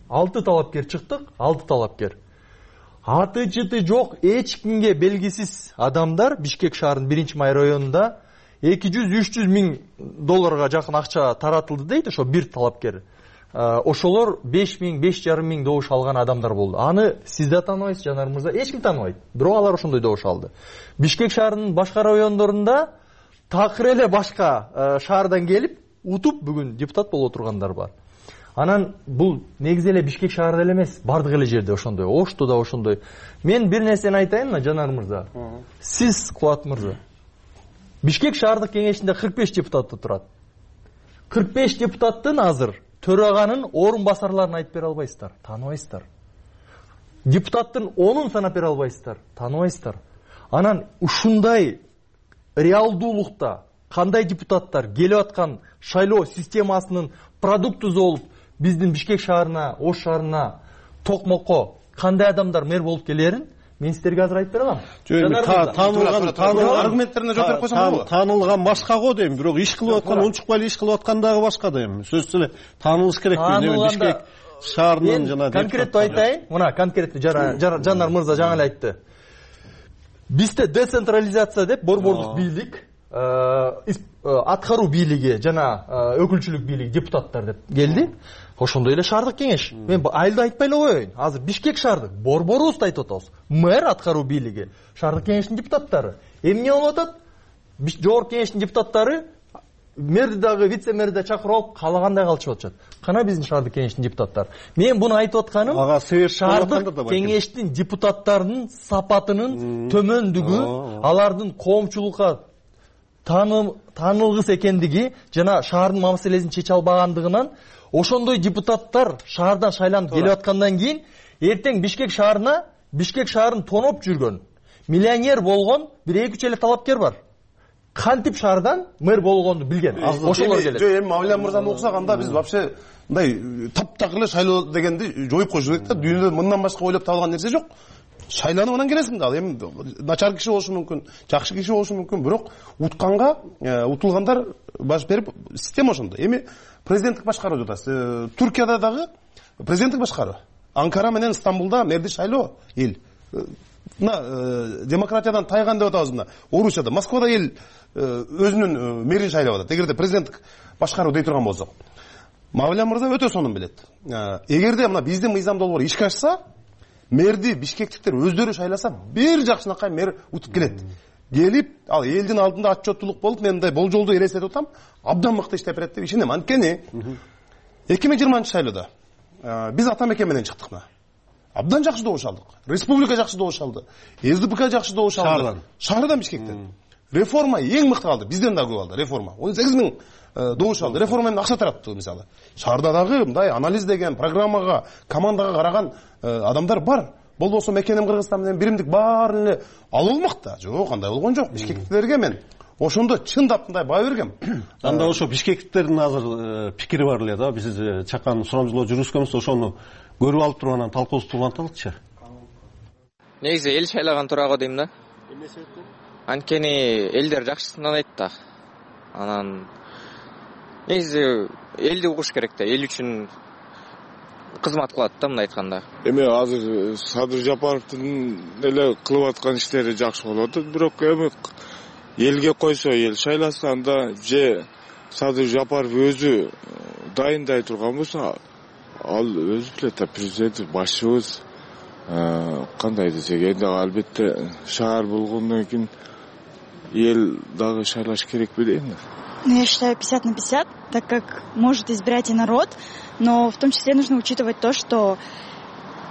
алты талапкер чыктык, алты талапкер. Аты жыты жок, эч кимге белгисиз адамдар Бишкек шаарынын биринчи май районунда эки жүз үч жүз миң долларга жакын акча таратылды дейт ошо бир талапкер. Ошолор беш миң, беш жарым миң добуш алган адамдар болду. Аны сиз да тааныбайсыз, Жанар мырза, эч ким тааныбайт. Бирок алар ошондой добуш алды. Бишкек шаарынын башка райондорунда такыр эле башка шаардан келип утуп бүгүн депутат боло тургандар бар. Анан бул негизи эле Бишкек шаарында эле эмес, бардык эле жерде ошондой, Ошто да ошондой. Мен бир нерсени айтайын, Жанар мырза. Сиз, Кубат мырза, Бишкек шаардык кеңешинде кырк беш депутат турат. кырк беш депутаттын азыр төраганын орун басарларын айтып бере албайсыздар, тааныбайсыздар. Депутаттын онун санап бере албайсыздар, тааныбайсыздар. Анан ушундай реалдуулукта кандай депутаттар келип аткан шайлоо системасынын продуктусу болуп биздин Бишкек шаарына, Ош шаарына, Токмокко кандай адамдар мэр болуп келерин мен сиздерге азыр айтып бере алам. Таанылган аргументтерине жооп берип койсоң болобу? Таанылган башка го дейм, бирок иш кылып аткан, унчукпай эле иш кылып аткан дагы башка дейм. Сөзсүз эле таанылыш керек дейм. Бишкек шаарынын жана конкреттүү айтайын. Мына конкреттүү Жанар мырза жаңы эле айтты. Бизде децентрализация деп борборлук бийлик, аткаруу бийлиги жана өкүлчүлүк бийлиги, депутаттар деп келди. Ошондой эле шаардык кеңеш. Мен айылды айтпай эле коеюн. Азыр Бишкек шаардык борборубузду айтып атабыз. Мэр аткаруу бийлиги, шаардык кеңештин депутаттары. Эмне болуп атат? Жогорку кеңештин депутаттары мэрди дагы, вице-мэрди да чакырып алып, каалагандай калышып атышат. Кана биздин шаардык кеңештин депутаттары. Мен буну айтып атканым, шаардык кеңештин депутаттарынын сапатынын төмөндүгү, алардын коомчулукка таанылгыс экендиги жана шаардын маселесин чече албагандыгынан ошондой депутаттар шаардан шайланып келип аткандан кийин эртең Бишкек шаарына, Бишкек шаарын тоноп жүргөн, миллионер болгон бир эки үч эле талапкер бар. Кантип шаардан мэр болгонду билген. Ошолор келет. Жо эми Мавлия мырзаны уксак анда биз вообще мындай таптакыр эле шайлоо дегенди жоюп коюш керек да. Дүйнөдө мындан башка ойлоп табылган нерсе жок. Шайланып анан келесиң да. Ал эми начар киши болушу мүмкүн, жакшы киши болушу мүмкүн, бирок утканга, утулгандар баш берип система ошондой. Эми президенттик башкаруу деп атасыз. Түркияда дагы президенттик башкаруу. Анкара менен Стамбулда мэрди шайлоо эл. Мына демократиядан тайган деп атабыз мына. Орусияда, Москвада эл өзүнүн мэрин шайлап атат. Эгерде президенттик башкаруу дей турган болсок. Мавлия мырза өтө сонун билет. Эгерде мына биздин мыйзам долбоор ишке ашса, мэрди бишкектиктер өздөрү шайласа, бир жакшынакай мэр утуп келет. Келип, ал элдин алдында отчеттуулук болуп, мен мындай болжолду элестетип атам, абдан мыкты иштеп берет деп ишенем. Анткени эки миң жыйырманчы шайлоодо биз ата мекен менен чыктык мына. Абдан жакшы добуш алдык. Республика жакшы добуш алды. СДПК жакшы добуш алды. Шаардан. Шаардан Бишкектен. Реформа эң мыкты калды. Бизден да көп алды реформа. он сегиз миң добуш алды. Реформа менен акча таратты мисалы. Шаарда дагы мындай анализдеген, программага, командага караган адамдар бар. Болбосо мекеним Кыргызстан менен биримдик баарын эле алып алмак да. Жок, андай болгон жок. Бишкектиктерге мен ошондо чындап мындай баа бергем. Анда ошо бишкектиктердин азыр пикири бар эле да. Биз чакан сурамжылоо жүргүзгөнбүз, ошону көрүп алып туруп анан талкуубузду уланталычы. Негизи эл шайлаган турагы дейм да. Эмне себептен? Анткени элдер жакшысынан айтты да. Анан негизи элди угуш керек да, эл үчүн кызмат кылат да мындай айтканда. Эми азыр Садыр Жапаровдун эле кылып аткан иштери жакшы болуп атат, бирок эми элге койсо, эл шайласа, анда же Садыр Жапаров өзү дайындай турган болсо, ал өзү билет да, президент башчыбыз кандай десек, энди албетте шаар болгондон кийин эл дагы шайлаш керекпи дейм. Ну, я считаю пятьдесят на пятьдесят, так как может избирать и народ, но в том числе нужно учитывать то, что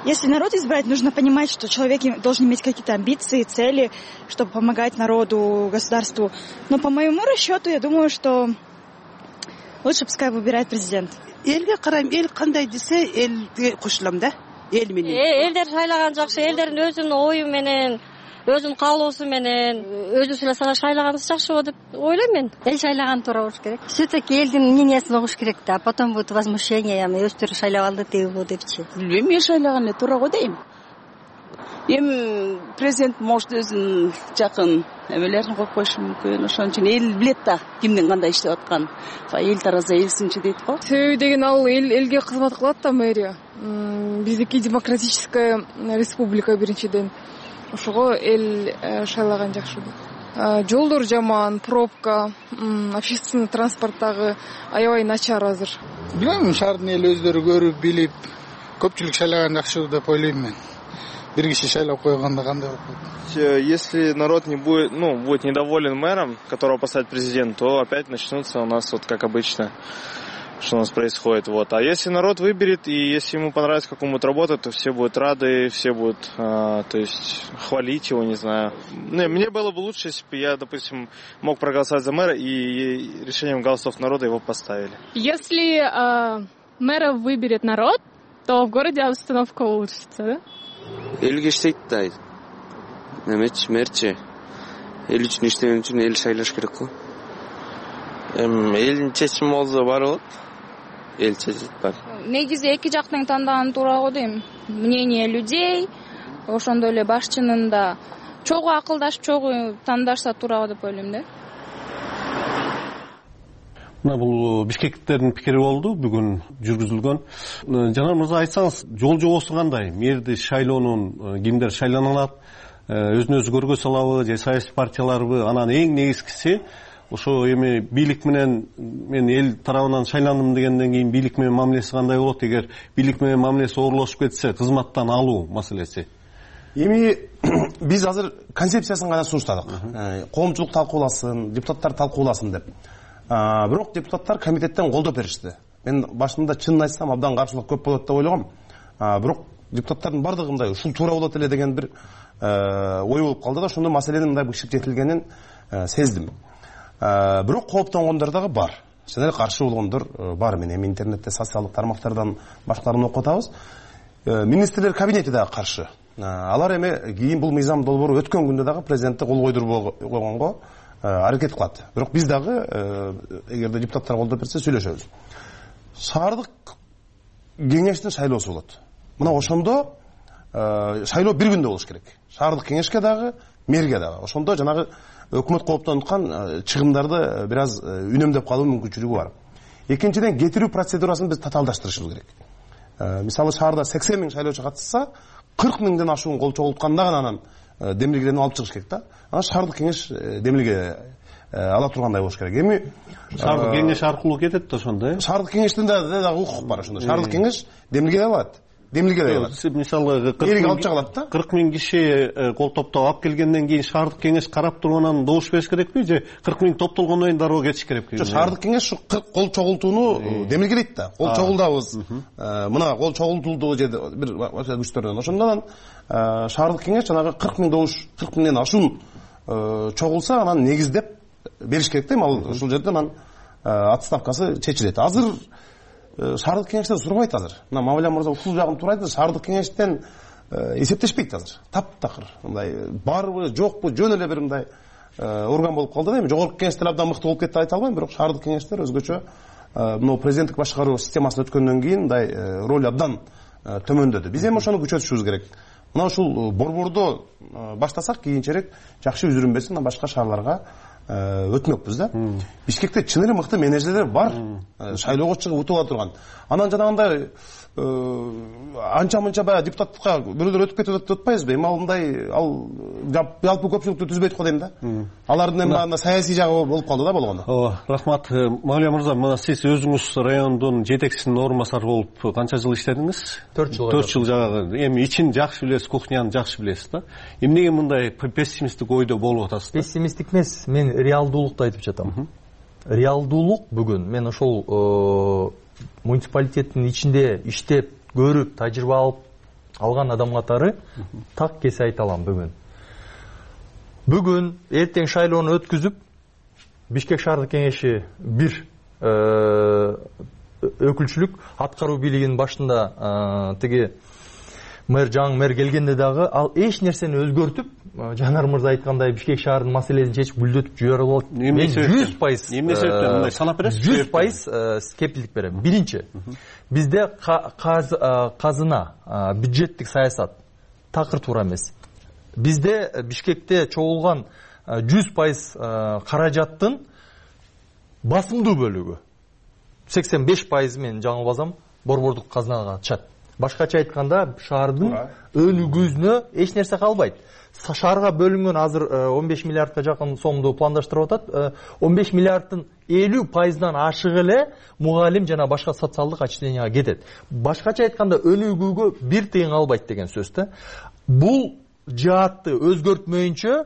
если народ избирает, нужно понимать, что человек должен иметь какие-то амбиции, цели, чтобы помогать народу, государству. Но по моему расчету, я думаю, что лучше пускай выбирает президент. Элге карайм, эл кандай десе, элге кошулам да, эл менен. Элдер шайлаган жакшы, элдердин өзүнүн ою менен, өзүнүн каалоосу менен, өзү эле шайлаганыбыз жакшы болот деп ойлойм мен. Эл шайлаган туура болуш керек. Все-таки элдин мнениясын угуш керек да, потом будет возмущение, эми өздөрү шайлап алды дейбу депчи. Билбейм, мен шайлаган эле туура го дейм. Эми президент может өзүнүн жакын эмелерин коюп коюшу мүмкүн. Ошон үчүн эл билет да кимдин кандай иштеп атканын. Эл тараза эл сынчы дейт го. Себеби деген ал элге кызмат кылат да мэрия. Биздики демократическая республика биринчиден. Ошого эл шайлаган жакшы болот. Жолдор жаман, пробка, общественный транспорттагы аябай начар азыр. Билбейм, шаардын эли өздөрү көрүп, билип, көпчүлүк шайлаган жакшы деп ойлойм мен. Бир киши шайлап койгондо кандай болот? Если народ не будет, ну, будет недоволен мэром, которого поставит президент, то опять начнутся у нас вот как обычно, что у нас происходит. Вот. А если народ выберет, и если ему понравится, как он будет работать, то все будут рады, все будут, а, то есть, хвалить его, не знаю. Ну, мне было бы лучше, если бы я, допустим, мог проголосовать за мэра, и решением голосов народа его поставили. Если а, мэра выберет народ, то в городе обстановка улучшится, да? Элге иштейт да. Эмечи, мэрчи. Эл үчүн иштеген үчүн эл шайлаш керек го. Эми элдин чечими болсо бар болот. Эл чечет бар. Негизи эки жактын тандаганы туура го дейм. Мнение людей, ошондой эле башчынын да чогуу акылдашып чогуу тандашса туура деп ойлойм да. Мына бул бишкекттердин пикири болду бүгүн жүргүзүлгөн. Жанар мырза, айтсаңыз, жол жобосу кандай? Мэрди шайлоонун кимдер шайлана алат? Өзүн өзү көргө салабы же саясий партияларбы? Анан эң негизгиси ошо эми бийлик менен мен эл тарабынан шайландым дегенден кийин бийлик менен мамилеси кандай болот? Эгер бийлик менен мамилеси оорлошуп кетсе, кызматтан алуу маселеси. Эми биз азыр концепциясын гана сунуштадык. Коомчулук талкууласын, депутаттар талкууласын деп. Бирок депутаттар комитеттен колдоп беришти. Мен башында чынын айтсам абдан каршылык көп болот деп ойлогом. Бирок депутаттардын бардыгы мындай ушул туура болот эле деген бир ой болуп калды да, ошондо маселенин мындай бышып жетилгенин сездим. Бирок кооптонгондор дагы бар. Чын эле каршы болгондор бар. Мен эми интернетте, социалдык тармактардан башкаларын окуп атабыз. Министрлер кабинети дагы каршы. Алар эми кийин бул мыйзам долбоору өткөн күндө дагы президентти кол койдуруп койгонго аракет кылат. Бирок биз дагы эгерде депутаттар колдоп берсе сүйлөшөбүз. Шаардык кеңештин шайлоосу болот. Мына ошондо шайлоо бир күндө болуш керек. Шаардык кеңешке дагы, мэрге дагы. Ошондо жанагы өкмөт кооптонуткан чыгымдарды бир аз үнөмдөп калуу мүмкүнчүлүгү бар. Экинчиден, кетирүү процедурасын биз татаалдаштырышыбыз керек. Мисалы шаарда сексен миң шайлоочу катышса, кырк миңден ашуун кол чогултканда гана анан демилгелерин алып чыгыш керек да. Анан шаардык кеңеш демилге ала тургандай болуш керек. Эми шаардык кеңеш аркылуу кетет да ошондо, э? Шаардык кеңештин дагы укук бар ошондо. Шаардык кеңеш демилге алат. Демилге алат. Мисалы кырк миң киши кол топтоп алып келгенден кийин шаардык кеңеш карап туруп анан добуш бериш керекпи же кырк миң топтолгондон кийин дароо кетиш керекпи? Жок, шаардык кеңеш ушу кырк кол чогултууну демилгелейт да. Кол чогулдабыз. Мына кол чогултулду же бир башка күчтөрдөн. Ошондон шаардык кеңеш жанагы кырк миң добуш, кырк миңден ашуун чогулса, анан негиздеп бериш керек да. Ал ушул жерде анан отставкасы чечилет. Азыр шаардык кеңештен сурабайт азыр. Мына Мавля мырза ушул жагын туура айтты. Шаардык кеңештен эсептешпейт азыр. Таптакыр. Мындай барбы, жокпу, жөн эле бир мындай орган болуп калды да. Эми жогорку кеңештер абдан мыкты болуп кетти деп айта албайм, бирок шаардык кеңештер өзгөчө мына президенттик башкаруу системасына өткөндөн кийин мындай роль абдан төмөндөдү. Биз эми ошону күчөтүшүбүз керек. Мына ушул борбордо баштасак, кийинчерээк жакшы үзүрүн берсин, башка шаарларга өтмөкпүз да. Бишкекте чын эле мыкты менеджерлер бар. Шайлоого чыгып утуп ала турган. Анан жанагындай анча-мынча баягы депутаттыкка бирөөлөр өтүп кетип деп атпайбызбы? Эми ал мындай ал жалпы көпчүлүктү түзбөйт го дейм да. Алардын эми анда саясий жагы болуп калды да болгондо. Ооба, рахмат. Мавля мырза, мына сиз өзүңүз райондун жетекчисинин орун басары болуп канча жыл иштедиңиз? төрт жыл. төрт жыл жагы. Эми ичин жакшы билесиз, кухняны жакшы билесиз да. Эмнеге мындай пессимисттик ойдо болуп атасыз? Пессимисттик эмес, мен реалдуулукту айтып жатам. Реалдуулук бүгүн мен ошол муниципалитеттин ичинде иштеп, көрүп, тажрыйба алып алган адам катары так кесе айта алам бүгүн. Бүгүн эртең шайлоону өткүзүп, Бишкек шаардык кеңеши бир өкүлчүлүк аткаруу бийлигинин башында тиги мэр, жаңы мэр келгенде дагы ал эч нерсени өзгөртүп, Жанар мырза айткандай Бишкек шаарынын маселесин чечип бүлдөтүп жибере алат. Мен жүз пайыз эмне себептен мындай санап бересиз? жүз пайыз кепилдик берем. Биринчи, бизде казына, бюджеттик саясат такыр туура эмес. Бизде Бишкекте чогулган жүз пайыз каражаттын басымдуу бөлүгү сексен беш пайыз мен жаңылбасам борбордук казынага чат. Башкача айтканда, шаардын өнүгүүсүнө эч нерсе калбайт. Шаарга бөлүнгөн азыр он беш миллиардка жакын сомду пландаштырып атат. он беш миллиардтын элүү пайыздан ашык эле мугалим жана башка социалдык отчисленияга кетет. Башкача айтканда, өнүгүүгө бир тыйын калбайт деген сөз да. Бул жаатты өзгөртмөйүнчө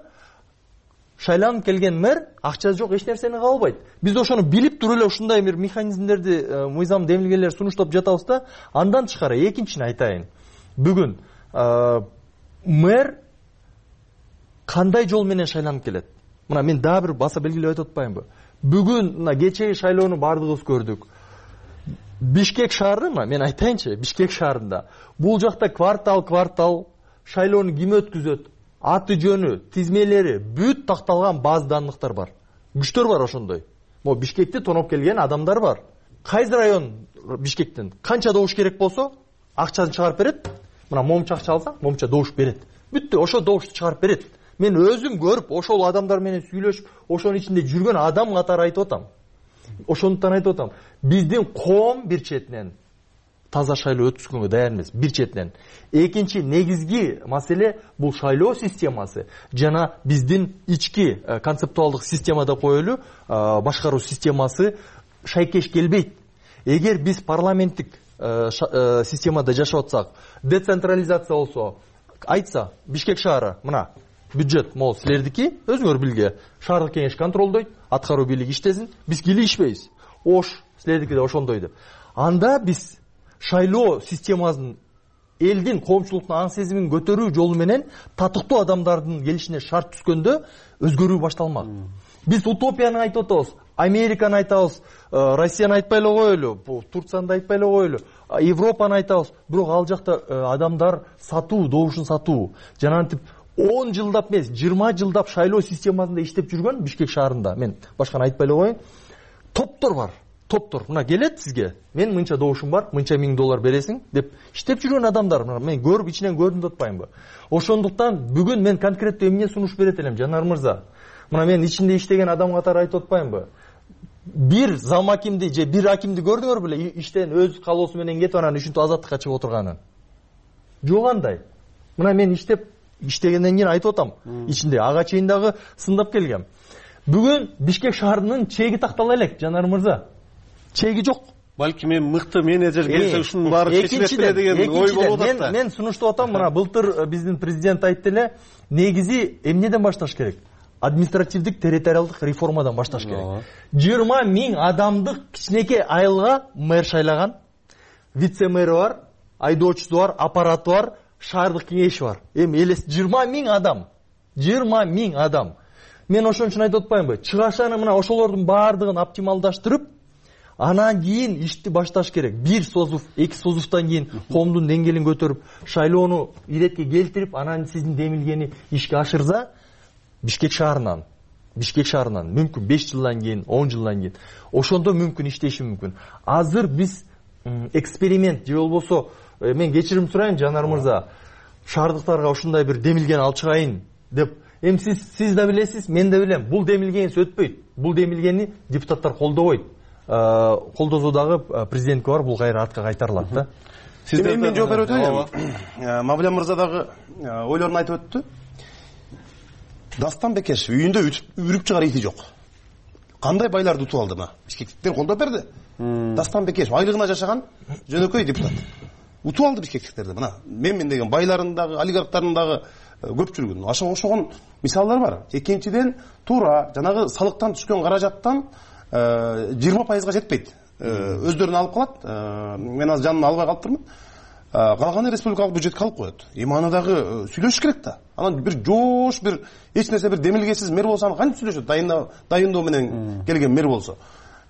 шайланып келген мэр акча жок, эч нерсени калбайт. Биз ошону билип туруп эле ушундай бир механизмдерди, мыйзам демилгелер сунуштап жатабыз да. Андан тышкары экинчини айтайын. Бүгүн мэр кандай жол менен шайланып келет? Мына мен дагы бир баса белгилеп айтып атпаймынбы? Бүгүн мына кечеги шайлоону бардыгыбыз көрдүк. Бишкек шаары, мен айтайынчы, Бишкек шаарында бул жакта квартал квартал шайлоону ким өткүзөт? Аты жөнү, тизмелери бүт такталган база данныктар бар. Күчтөр бар ошондой. Могу Бишкекти тоноп келген адамдар бар. Кайсы район Бишкектен канча добуш керек болсо, акчаны чыгарып берет. мына момча акча алсаң, момча добуш берет. Бүттү, ошо добушту чыгарып берет. Мен өзүм көрүп, ошол адамдар менен сүйлөшүп, ошонун ичинде жүргөн адам катары айтып атам. Ошондуктан айтып атам, биздин коом бир четинен таза шайлоо өткүзгөнгө даяр эмес, бир четинен. Экинчи негизги маселе бул шайлоо системасы жана биздин ички концептуалдык системада коелу башкаруу системасы шайкеш келбейт. Эгер биз парламенттик системада жашап атсак, децентрализация болсо, айтса, Бишкек шаары, мына, бюджет могу силердики, өзүңөр билге, шаардык кеңеш контролдойт, аткаруу бийлиги иштесин, биз кили ишпейбиз. Ош, силердики да ошондой деп. Анда биз шайлоо системасын элдин, коомчулуктун аң сезимин көтөрүү жолу менен татыктуу адамдардын келишине шарт түскөндө өзгөрүү башталмак. Биз утопияны айтып атабыз, Американы айтабыз, Россияны айтпай эле коелу, Турцияны айтпай эле коелу, Европаны айтабыз, бирок ал жакта адамдар сатуу, добушун сатуу. Жана антип он жылдап эмес, жыйырма жылдап шайлоо системасында иштеп жүргөн Бишкек шаарында, мен башканы айтпай эле коеюн, топтор бар. Топтор, мына келет сизге, мен мынча добушум бар, мынча миң доллар бересиң деп иштеп жүргөн адамдар, мен көрүп ичинен көрдүм деп атпаймынбы. Ошондуктан бүгүн мен конкреттүү эмне сунуш берет элем, Жанар мырза. Мына мен ичинде иштеген адам катары айтып атпаймынбы. Бир зам акимди же бир акимди көрдүңөр беле, иштен өз калоосу менен кетип анан ушинтип азаттыкка чыгып отурганын. Жок андай. Мына мен иштеп иштегенден кийин айтып атам, ичинде ага чейин дагы сындап келгем. Бүгүн Бишкек шаарынын чеги тактала элек, Жанар мырза. Чеги жок. Балки мен мыкты менеджер келсе ушунун баары чечилет беле деген ой болуп атат да. Мен сунуштап атам, мына былтыр биздин президент айтты эле, негизи эмнеден башташ керек? Административдик территориалдык реформадан башташ керек. жыйырма миң адамдык кичинекей айылга мэр шайлаган, вице-мэр бар, айдоочусу бар, аппараты бар, шаардык кеңеши бар. Эми элес жыйырма миң адам. жыйырма миң адам. Мен ошон үчүн айтып атпаймынбы? Чыгашаны мына ошолордун баардыгын оптималдаштырып, анан кийин ишти башташ керек. Бир созув, эки созувтан кийин коомдун деңгээлин көтөрүп, шайлоону иретке келтирип, анан сиздин демилгени ишке ашырса, Бишкек шаарынан, Бишкек шаарынан мүмкүн беш жылдан кийин, он жылдан кийин ошондо мүмкүн иштеши мүмкүн. Азыр биз эксперимент же болбосо, мен кечирим сурайын Жанар мырза, шаардыктарга ушундай бир демилгени алып чыгайын деп. Эми сиз сиз да билесиз, мен да билем, бул демилгенси өтпөйт. Бул демилгени депутаттар колдобойт. Колдосо дагы президентке бар, бул кайра артка кайтарылат да. Сиздер мен жооп берип өтөйүн. Мавлен мырза дагы ойлорун айтып өттү. Дастан Бекешев үйүндө үрүп чыгар ити жок. Кандай байларды утуп алды мына? Бишкектиктер колдоп берди. Дастан Бекешев айлыгына жашаган жөнөкөй депутат. Утуп алды бишкектиктерди. Мына мен мен деген байларын дагы, олигархтардын дагы көп жүргөн. Ошо ошогон мисалдар бар. Экинчиден туура жанагы салыктан түшкөн каражаттан жыйырма пайызга жетпейт. Өздөрүнө алып калат. Мен азыр жанымды албай калыптырмын. Калганы республикалык бюджетке алып коет. Эми аны дагы сүйлөшүш керек да. Анан бир жоош, бир эч нерсе бир демилгесиз мэр болсо аны кантип сүйлөшөт? Дайындоо, дайындоо менен келген мэр болсо.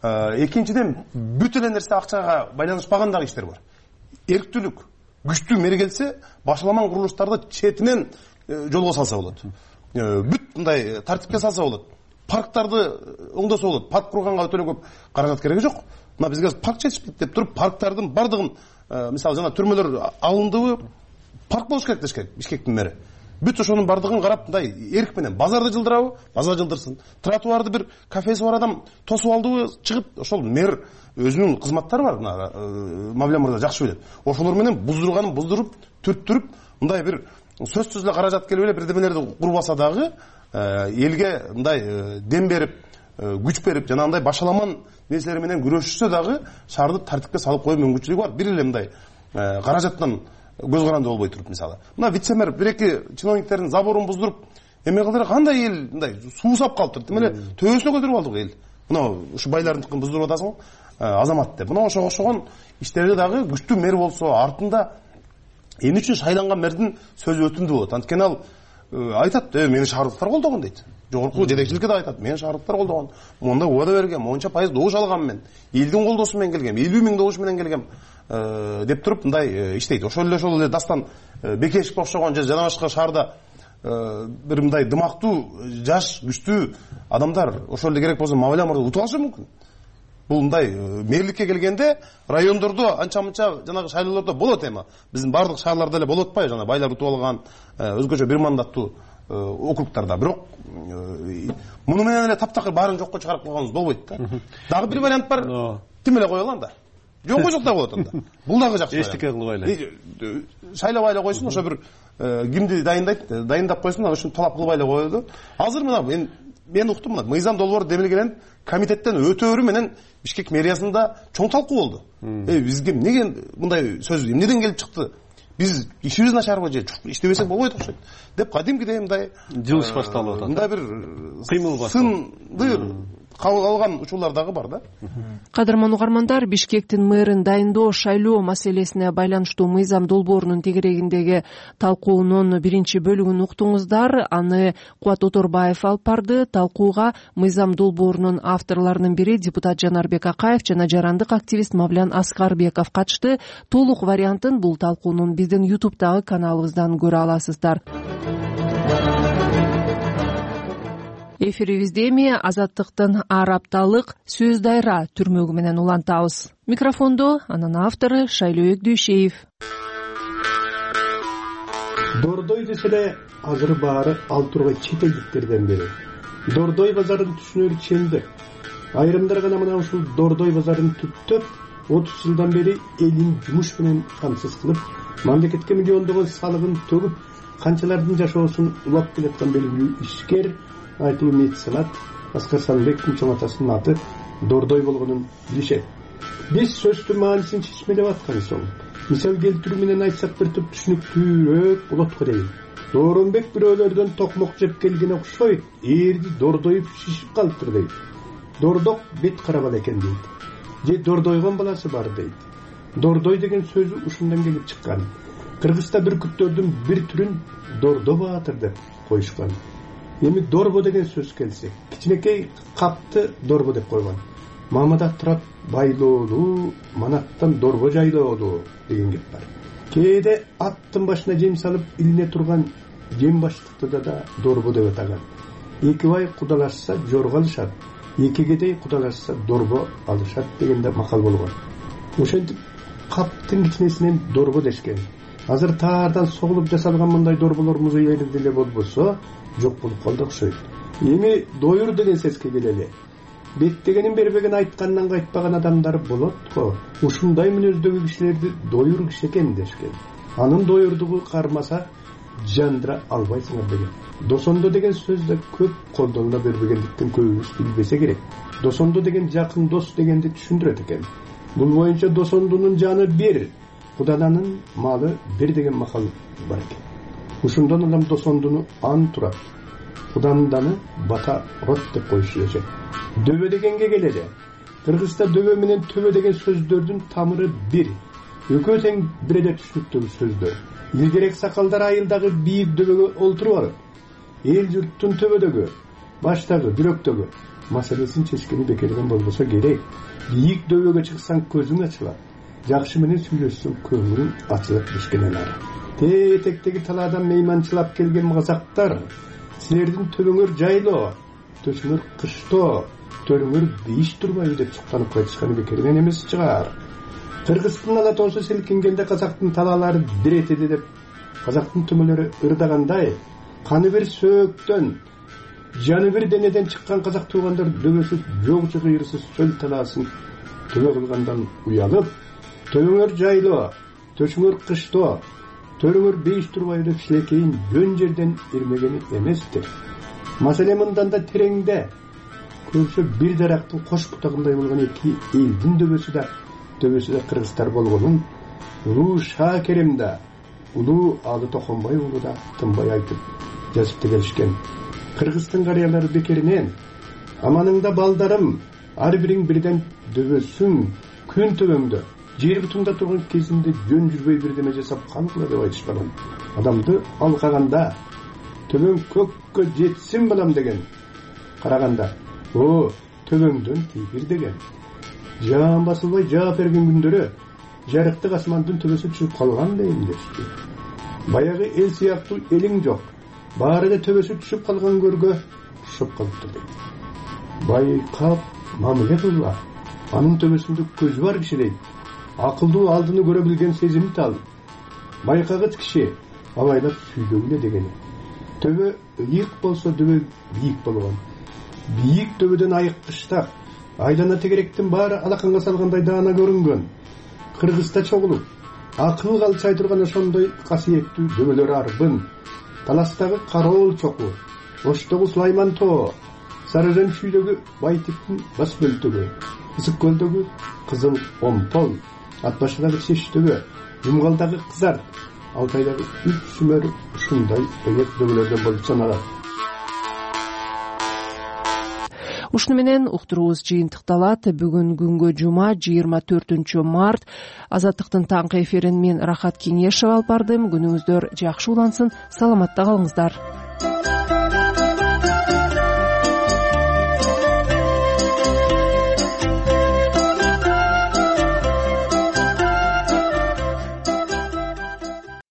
Экинчиден бүт эле нерсе акчага байланышпаган дагы иштер бар. Эрктүүлүк, күчтүү мэр келсе, башаламан курулуштарды четинен жолго салса болот. Бүт мындай тартипке салса болот. Парктарды оңдосо болот. Парк курганга өтө көп каражат кереги жок. Мына бизге парк жетишпейт деп туруп, парктардын бардыгын, мисалы жана түрмөлөр алындыбы, парк болуш керек дешкен Бишкектин мэри. Бүт ошонун бардыгын карап, мындай эрк менен базарды жылдырабы, базар жылдырсын. Тротуарды бир кафеси бар адам тосуп алдыбы, чыгып, ошол мэр өзүнүн кызматтары бар, мына Мавлен мырза жакшы билет. Ошолор менен буздурганын буздуруп, түрттүрүп, мындай бир сөзсүз эле каражат келип эле бирдемелерди курбаса дагы элге мындай дем берип, күч берип, жанагындай башаламан нерселер менен күрөшүшсө дагы шаарды тартипке салып кое мүмкүнчүлүгү бар. Бир эле мындай каражаттан көз каранды болбой туруп мисалы. Мына вице-мэр бир-эки чиновниктердин заборун буздуруп, эме кылдыра кандай эл мындай суусап калыптыр. Тим эле төбөсүнө көтөрүп алдык эл. Мына ушу байлардыкын буздуруп атасың, азамат деп. Мына ошо ошогон иштерде дагы күчтүү мэр болсо, артында эмне үчүн шайланган мэрдин сөзү өтүмдүү болот. Анткени ал айтат, "Э, мени шаардыктар колдогон" дейт. Жогорку жетекчиликке да айтат, "Мен шаардыктар колдогон, монда убада берген, монча пайыз добуш алгам мен, элдин колдосу менен келгем, элүү миң добуш менен келгем" деп туруп мындай иштейт. Ошол эле ошол эле Дастан Бекешевге окшогон же жана башка шаарда бир мындай дымактуу, жаш, күчтүү адамдар ошол эле керек болсо Мавлен мырза утуп алышы мүмкүн. бул мындай мэрликке келгенде райондордо анча мынча жанагы шайлоолордо болот эми. Биздин баардык шаарларда эле болуп атпайбы, жана байлар утуп алган өзгөчө бир мандаттуу округтарда. Бирок муну менен эле таптакыр баарын жокко чыгарып койгонубуз болбойт да. Дагы бир вариант бар. Тим эле коелу анда. Жок койсок да болот анда. Бул дагы жакшы. Эчтеке кылбай эле. Шайлабай эле койсун, ошо бир кимди дайындайт, дайындап койсун, ошону талап кылбай эле коелу. Азыр мына мен мен уктум, мына мыйзам долбоор демилгенен комитеттен өтөөрү менен Бишкек мэриясында чоң талкуу болду. Э бизге эмнеге мындай сөз эмнеден келип чыкты? Биз ишибиз начарбы же иштебесек болбойт окшойт деп кадимкидей мындай жылыш башталып атат. Мындай бир кыймыл башталып. Сынды кабыл алган учурлар дагы бар да. Кадырман угармандар, Бишкектин мэрин дайындоо, шайлоо маселесине байланыштуу мыйзам долбоорунун тегерегиндеги талкуунун биринчи бөлүгүн уктуңуздар. Аны Кубат Оторбаев алып барды. Талкууга мыйзам долбоорунун авторлорунун бири депутат Жанарбек Акаев жана жарандык активист Мавлян Аскарбеков катышты. Толук вариантын бул талкуунун биздин ютубтагы каналыбыздан көрө аласыздар. Эфирибизде эми Азаттыктын ар апталык сөз дайра түрмөгү менен улантабыз. Микрофондо анын автору Шайлообек Дүйшеев. Дордой десе эле азыр баары ал тургай чет элдиктерден бери. Дордой базарын түшүнөр ченди. Айрымдар гана мына ушул Дордой базарын түптөп, отуз жылдан бери элин жумуш менен камсыз кылып, мамлекетке миллиондогон салыгын төгүп, канчалардын жашоосун улап келаткан белгилүү ишкер айтылуу меценат Аскар Санбековдун чоң атасынын аты Дордой болгонун билишет. Биз сөздүн маанисин чечмелеп аткан соң, мисал келтирүү менен айтсак бир топ түшүнүктүүрөөк болот го дейм. Дооронбек бирөөлөрдөн токмок жеп келген окшойт, ээрди дордоюп шишип калыптыр дейт. Дордок бет карабал экен дейт. Же дордойгон баласы бар дейт. Дордой деген сөзү ушундан келип чыккан. Кыргызста бүркүттөрдүн бир түрүн Дордо баатыр деп коюшкан. Эми дорбо деген сөз келсе, кичинекей капты дорбо деп койгон. Мамада турат байлоолуу, манаттан дорбо жайлоолуу деген кеп бар. Кээде аттын башына жем салып илине турган жем баштыкты да дорбо деп атаган. Эки бай кудалашса жорго алышат, эки кедей кудалашса дорбо алышат дегенде макал болгон. Ошентип каптын кичинесинен дорбо дешкен. Азыр таардан согулуп жасалган мындай дорболор музейлерде эле болбосо, жок болуп калды окшойт. Эми доюр деген сөзгө келели. Беттегенин бербеген айткандан кайтпаган адамдар болот го. Ушундай мүнөздөгү кишилерди доюр киши экен дешкен. Анын доюрдугу кармаса жандыра албайсыңар деген. Досондо деген сөз да көп колдонула бербегендиктен көбүбүз билбесе керек. Досондо деген жакын дос дегенди түшүндүрөт экен. Бул боюнча досондунун жаны бир, Кудананын малы бир деген макал бар экен. Ушундан улам досондуну ан турат, Куданданы бата рот деп коюшу эже. Дөбө дегенге келели. Кыргызста дөбө менен төбө деген сөздөрдүн тамыры бир. Экөө тең бир эле түшүнүктөгү сөздөр. Илгерек сакалдар айылдагы бийик дөбөгө олтуруп алып, эл журттун төбөдөгү, баштагы, жүрөктөгү маселесин чечкени бекерден болбосо керек. Бийик дөбөгө чыксаң көзүң ачылат. Жакшы менен сүйлөшсөң көңүлүң ачылат дешкенен ары. Тетектеги талаадан мейманчылап келген казактар, силердин төбөңөр жайлоо, төшүңөр кыштоо, төрүңөр бейиш турбайбы деп суктанып кайтышканы бекерден эмес чыгар. Кыргыздын алатоосу силкингенде казактын талаалары биретеди деп казактын төмөлөрү ырдагандай, каны бир сөөктөн, жаны бир денеден чыккан казак туугандар дөбөсү жогчу кыйрысыз чөл талаасын төбө кылгандан уялып, төбөңөр жайлоо, төшүңөр кыштоо, төрүңөр бейиш турбайбы деп силекейин жөн жерден ирмегени эместир. Маселе мындан да тереңде. Көрсө бир дарактын кош бутагындай болгон эки элдин дөбөсү да дөбөсү да кыргыздар болгонун улуу Шакерим да, улуу Алы Токонбой уулу да тынбай айтып жазып келишкен. Кыргыздын карыялары бекеринен аманыңда балдарым, ар бириң бирден дөбөсүң, күн төбөңдө, жер бутуңда турган кезинде жөн жүрбөй бирдеме жасап калгыла деп айтышкан. Адамды алкаганда төбөң көккө жетсин балам деген. Караганда, о, төбөңдөн тийгир деген. Жаан басылбай жаап берген күндөрү жарыктык асмандын төбөсү түшүп калган дейм дешти. Баягы эл сыяктуу элиң жок. Баары да төбөсү түшүп калган көргө ушуп калыптыр дейт. Байкап мамиле кылла. анын төбөсүндө көзү бар киши дейт. Акылдуу алдыны көрө билген сезимтал, байкагыч киши абайлап сүйлөгүлө дегени. Төбө ыйык болсо дөбө бийик болгон. Бийик төбөдөн айыккычтак, айлана тегеректин баары алаканга салгандай даана көрүнгөн. Кыргызда чогулуп, акыл калчай турган ошондой касиеттүү дөбөлөр арбын. Таластагы Кароол чоку, Оштогу Сулайман тоо, Сары Өзөн чүйдөгү Байтиктин бас бөлтөгү, Ысык көлдөгү Кызыл Омпол, Ат башындагы Чеш төбө, Жумгалдагы Кызар, Алтайдагы үч сүмөр ушундай ыйык дөбөлөрдөн болуп саналат. Ушуну менен уктуруубуз жыйынтыкталат. Бүгүн күнгө жума жыйырма төртүнчү март. Азаттыктын таңкы эфирин мен Рахат Кеңешева алып бардым. Күнүңүздөр жакшы улансын, саламатта калыңыздар.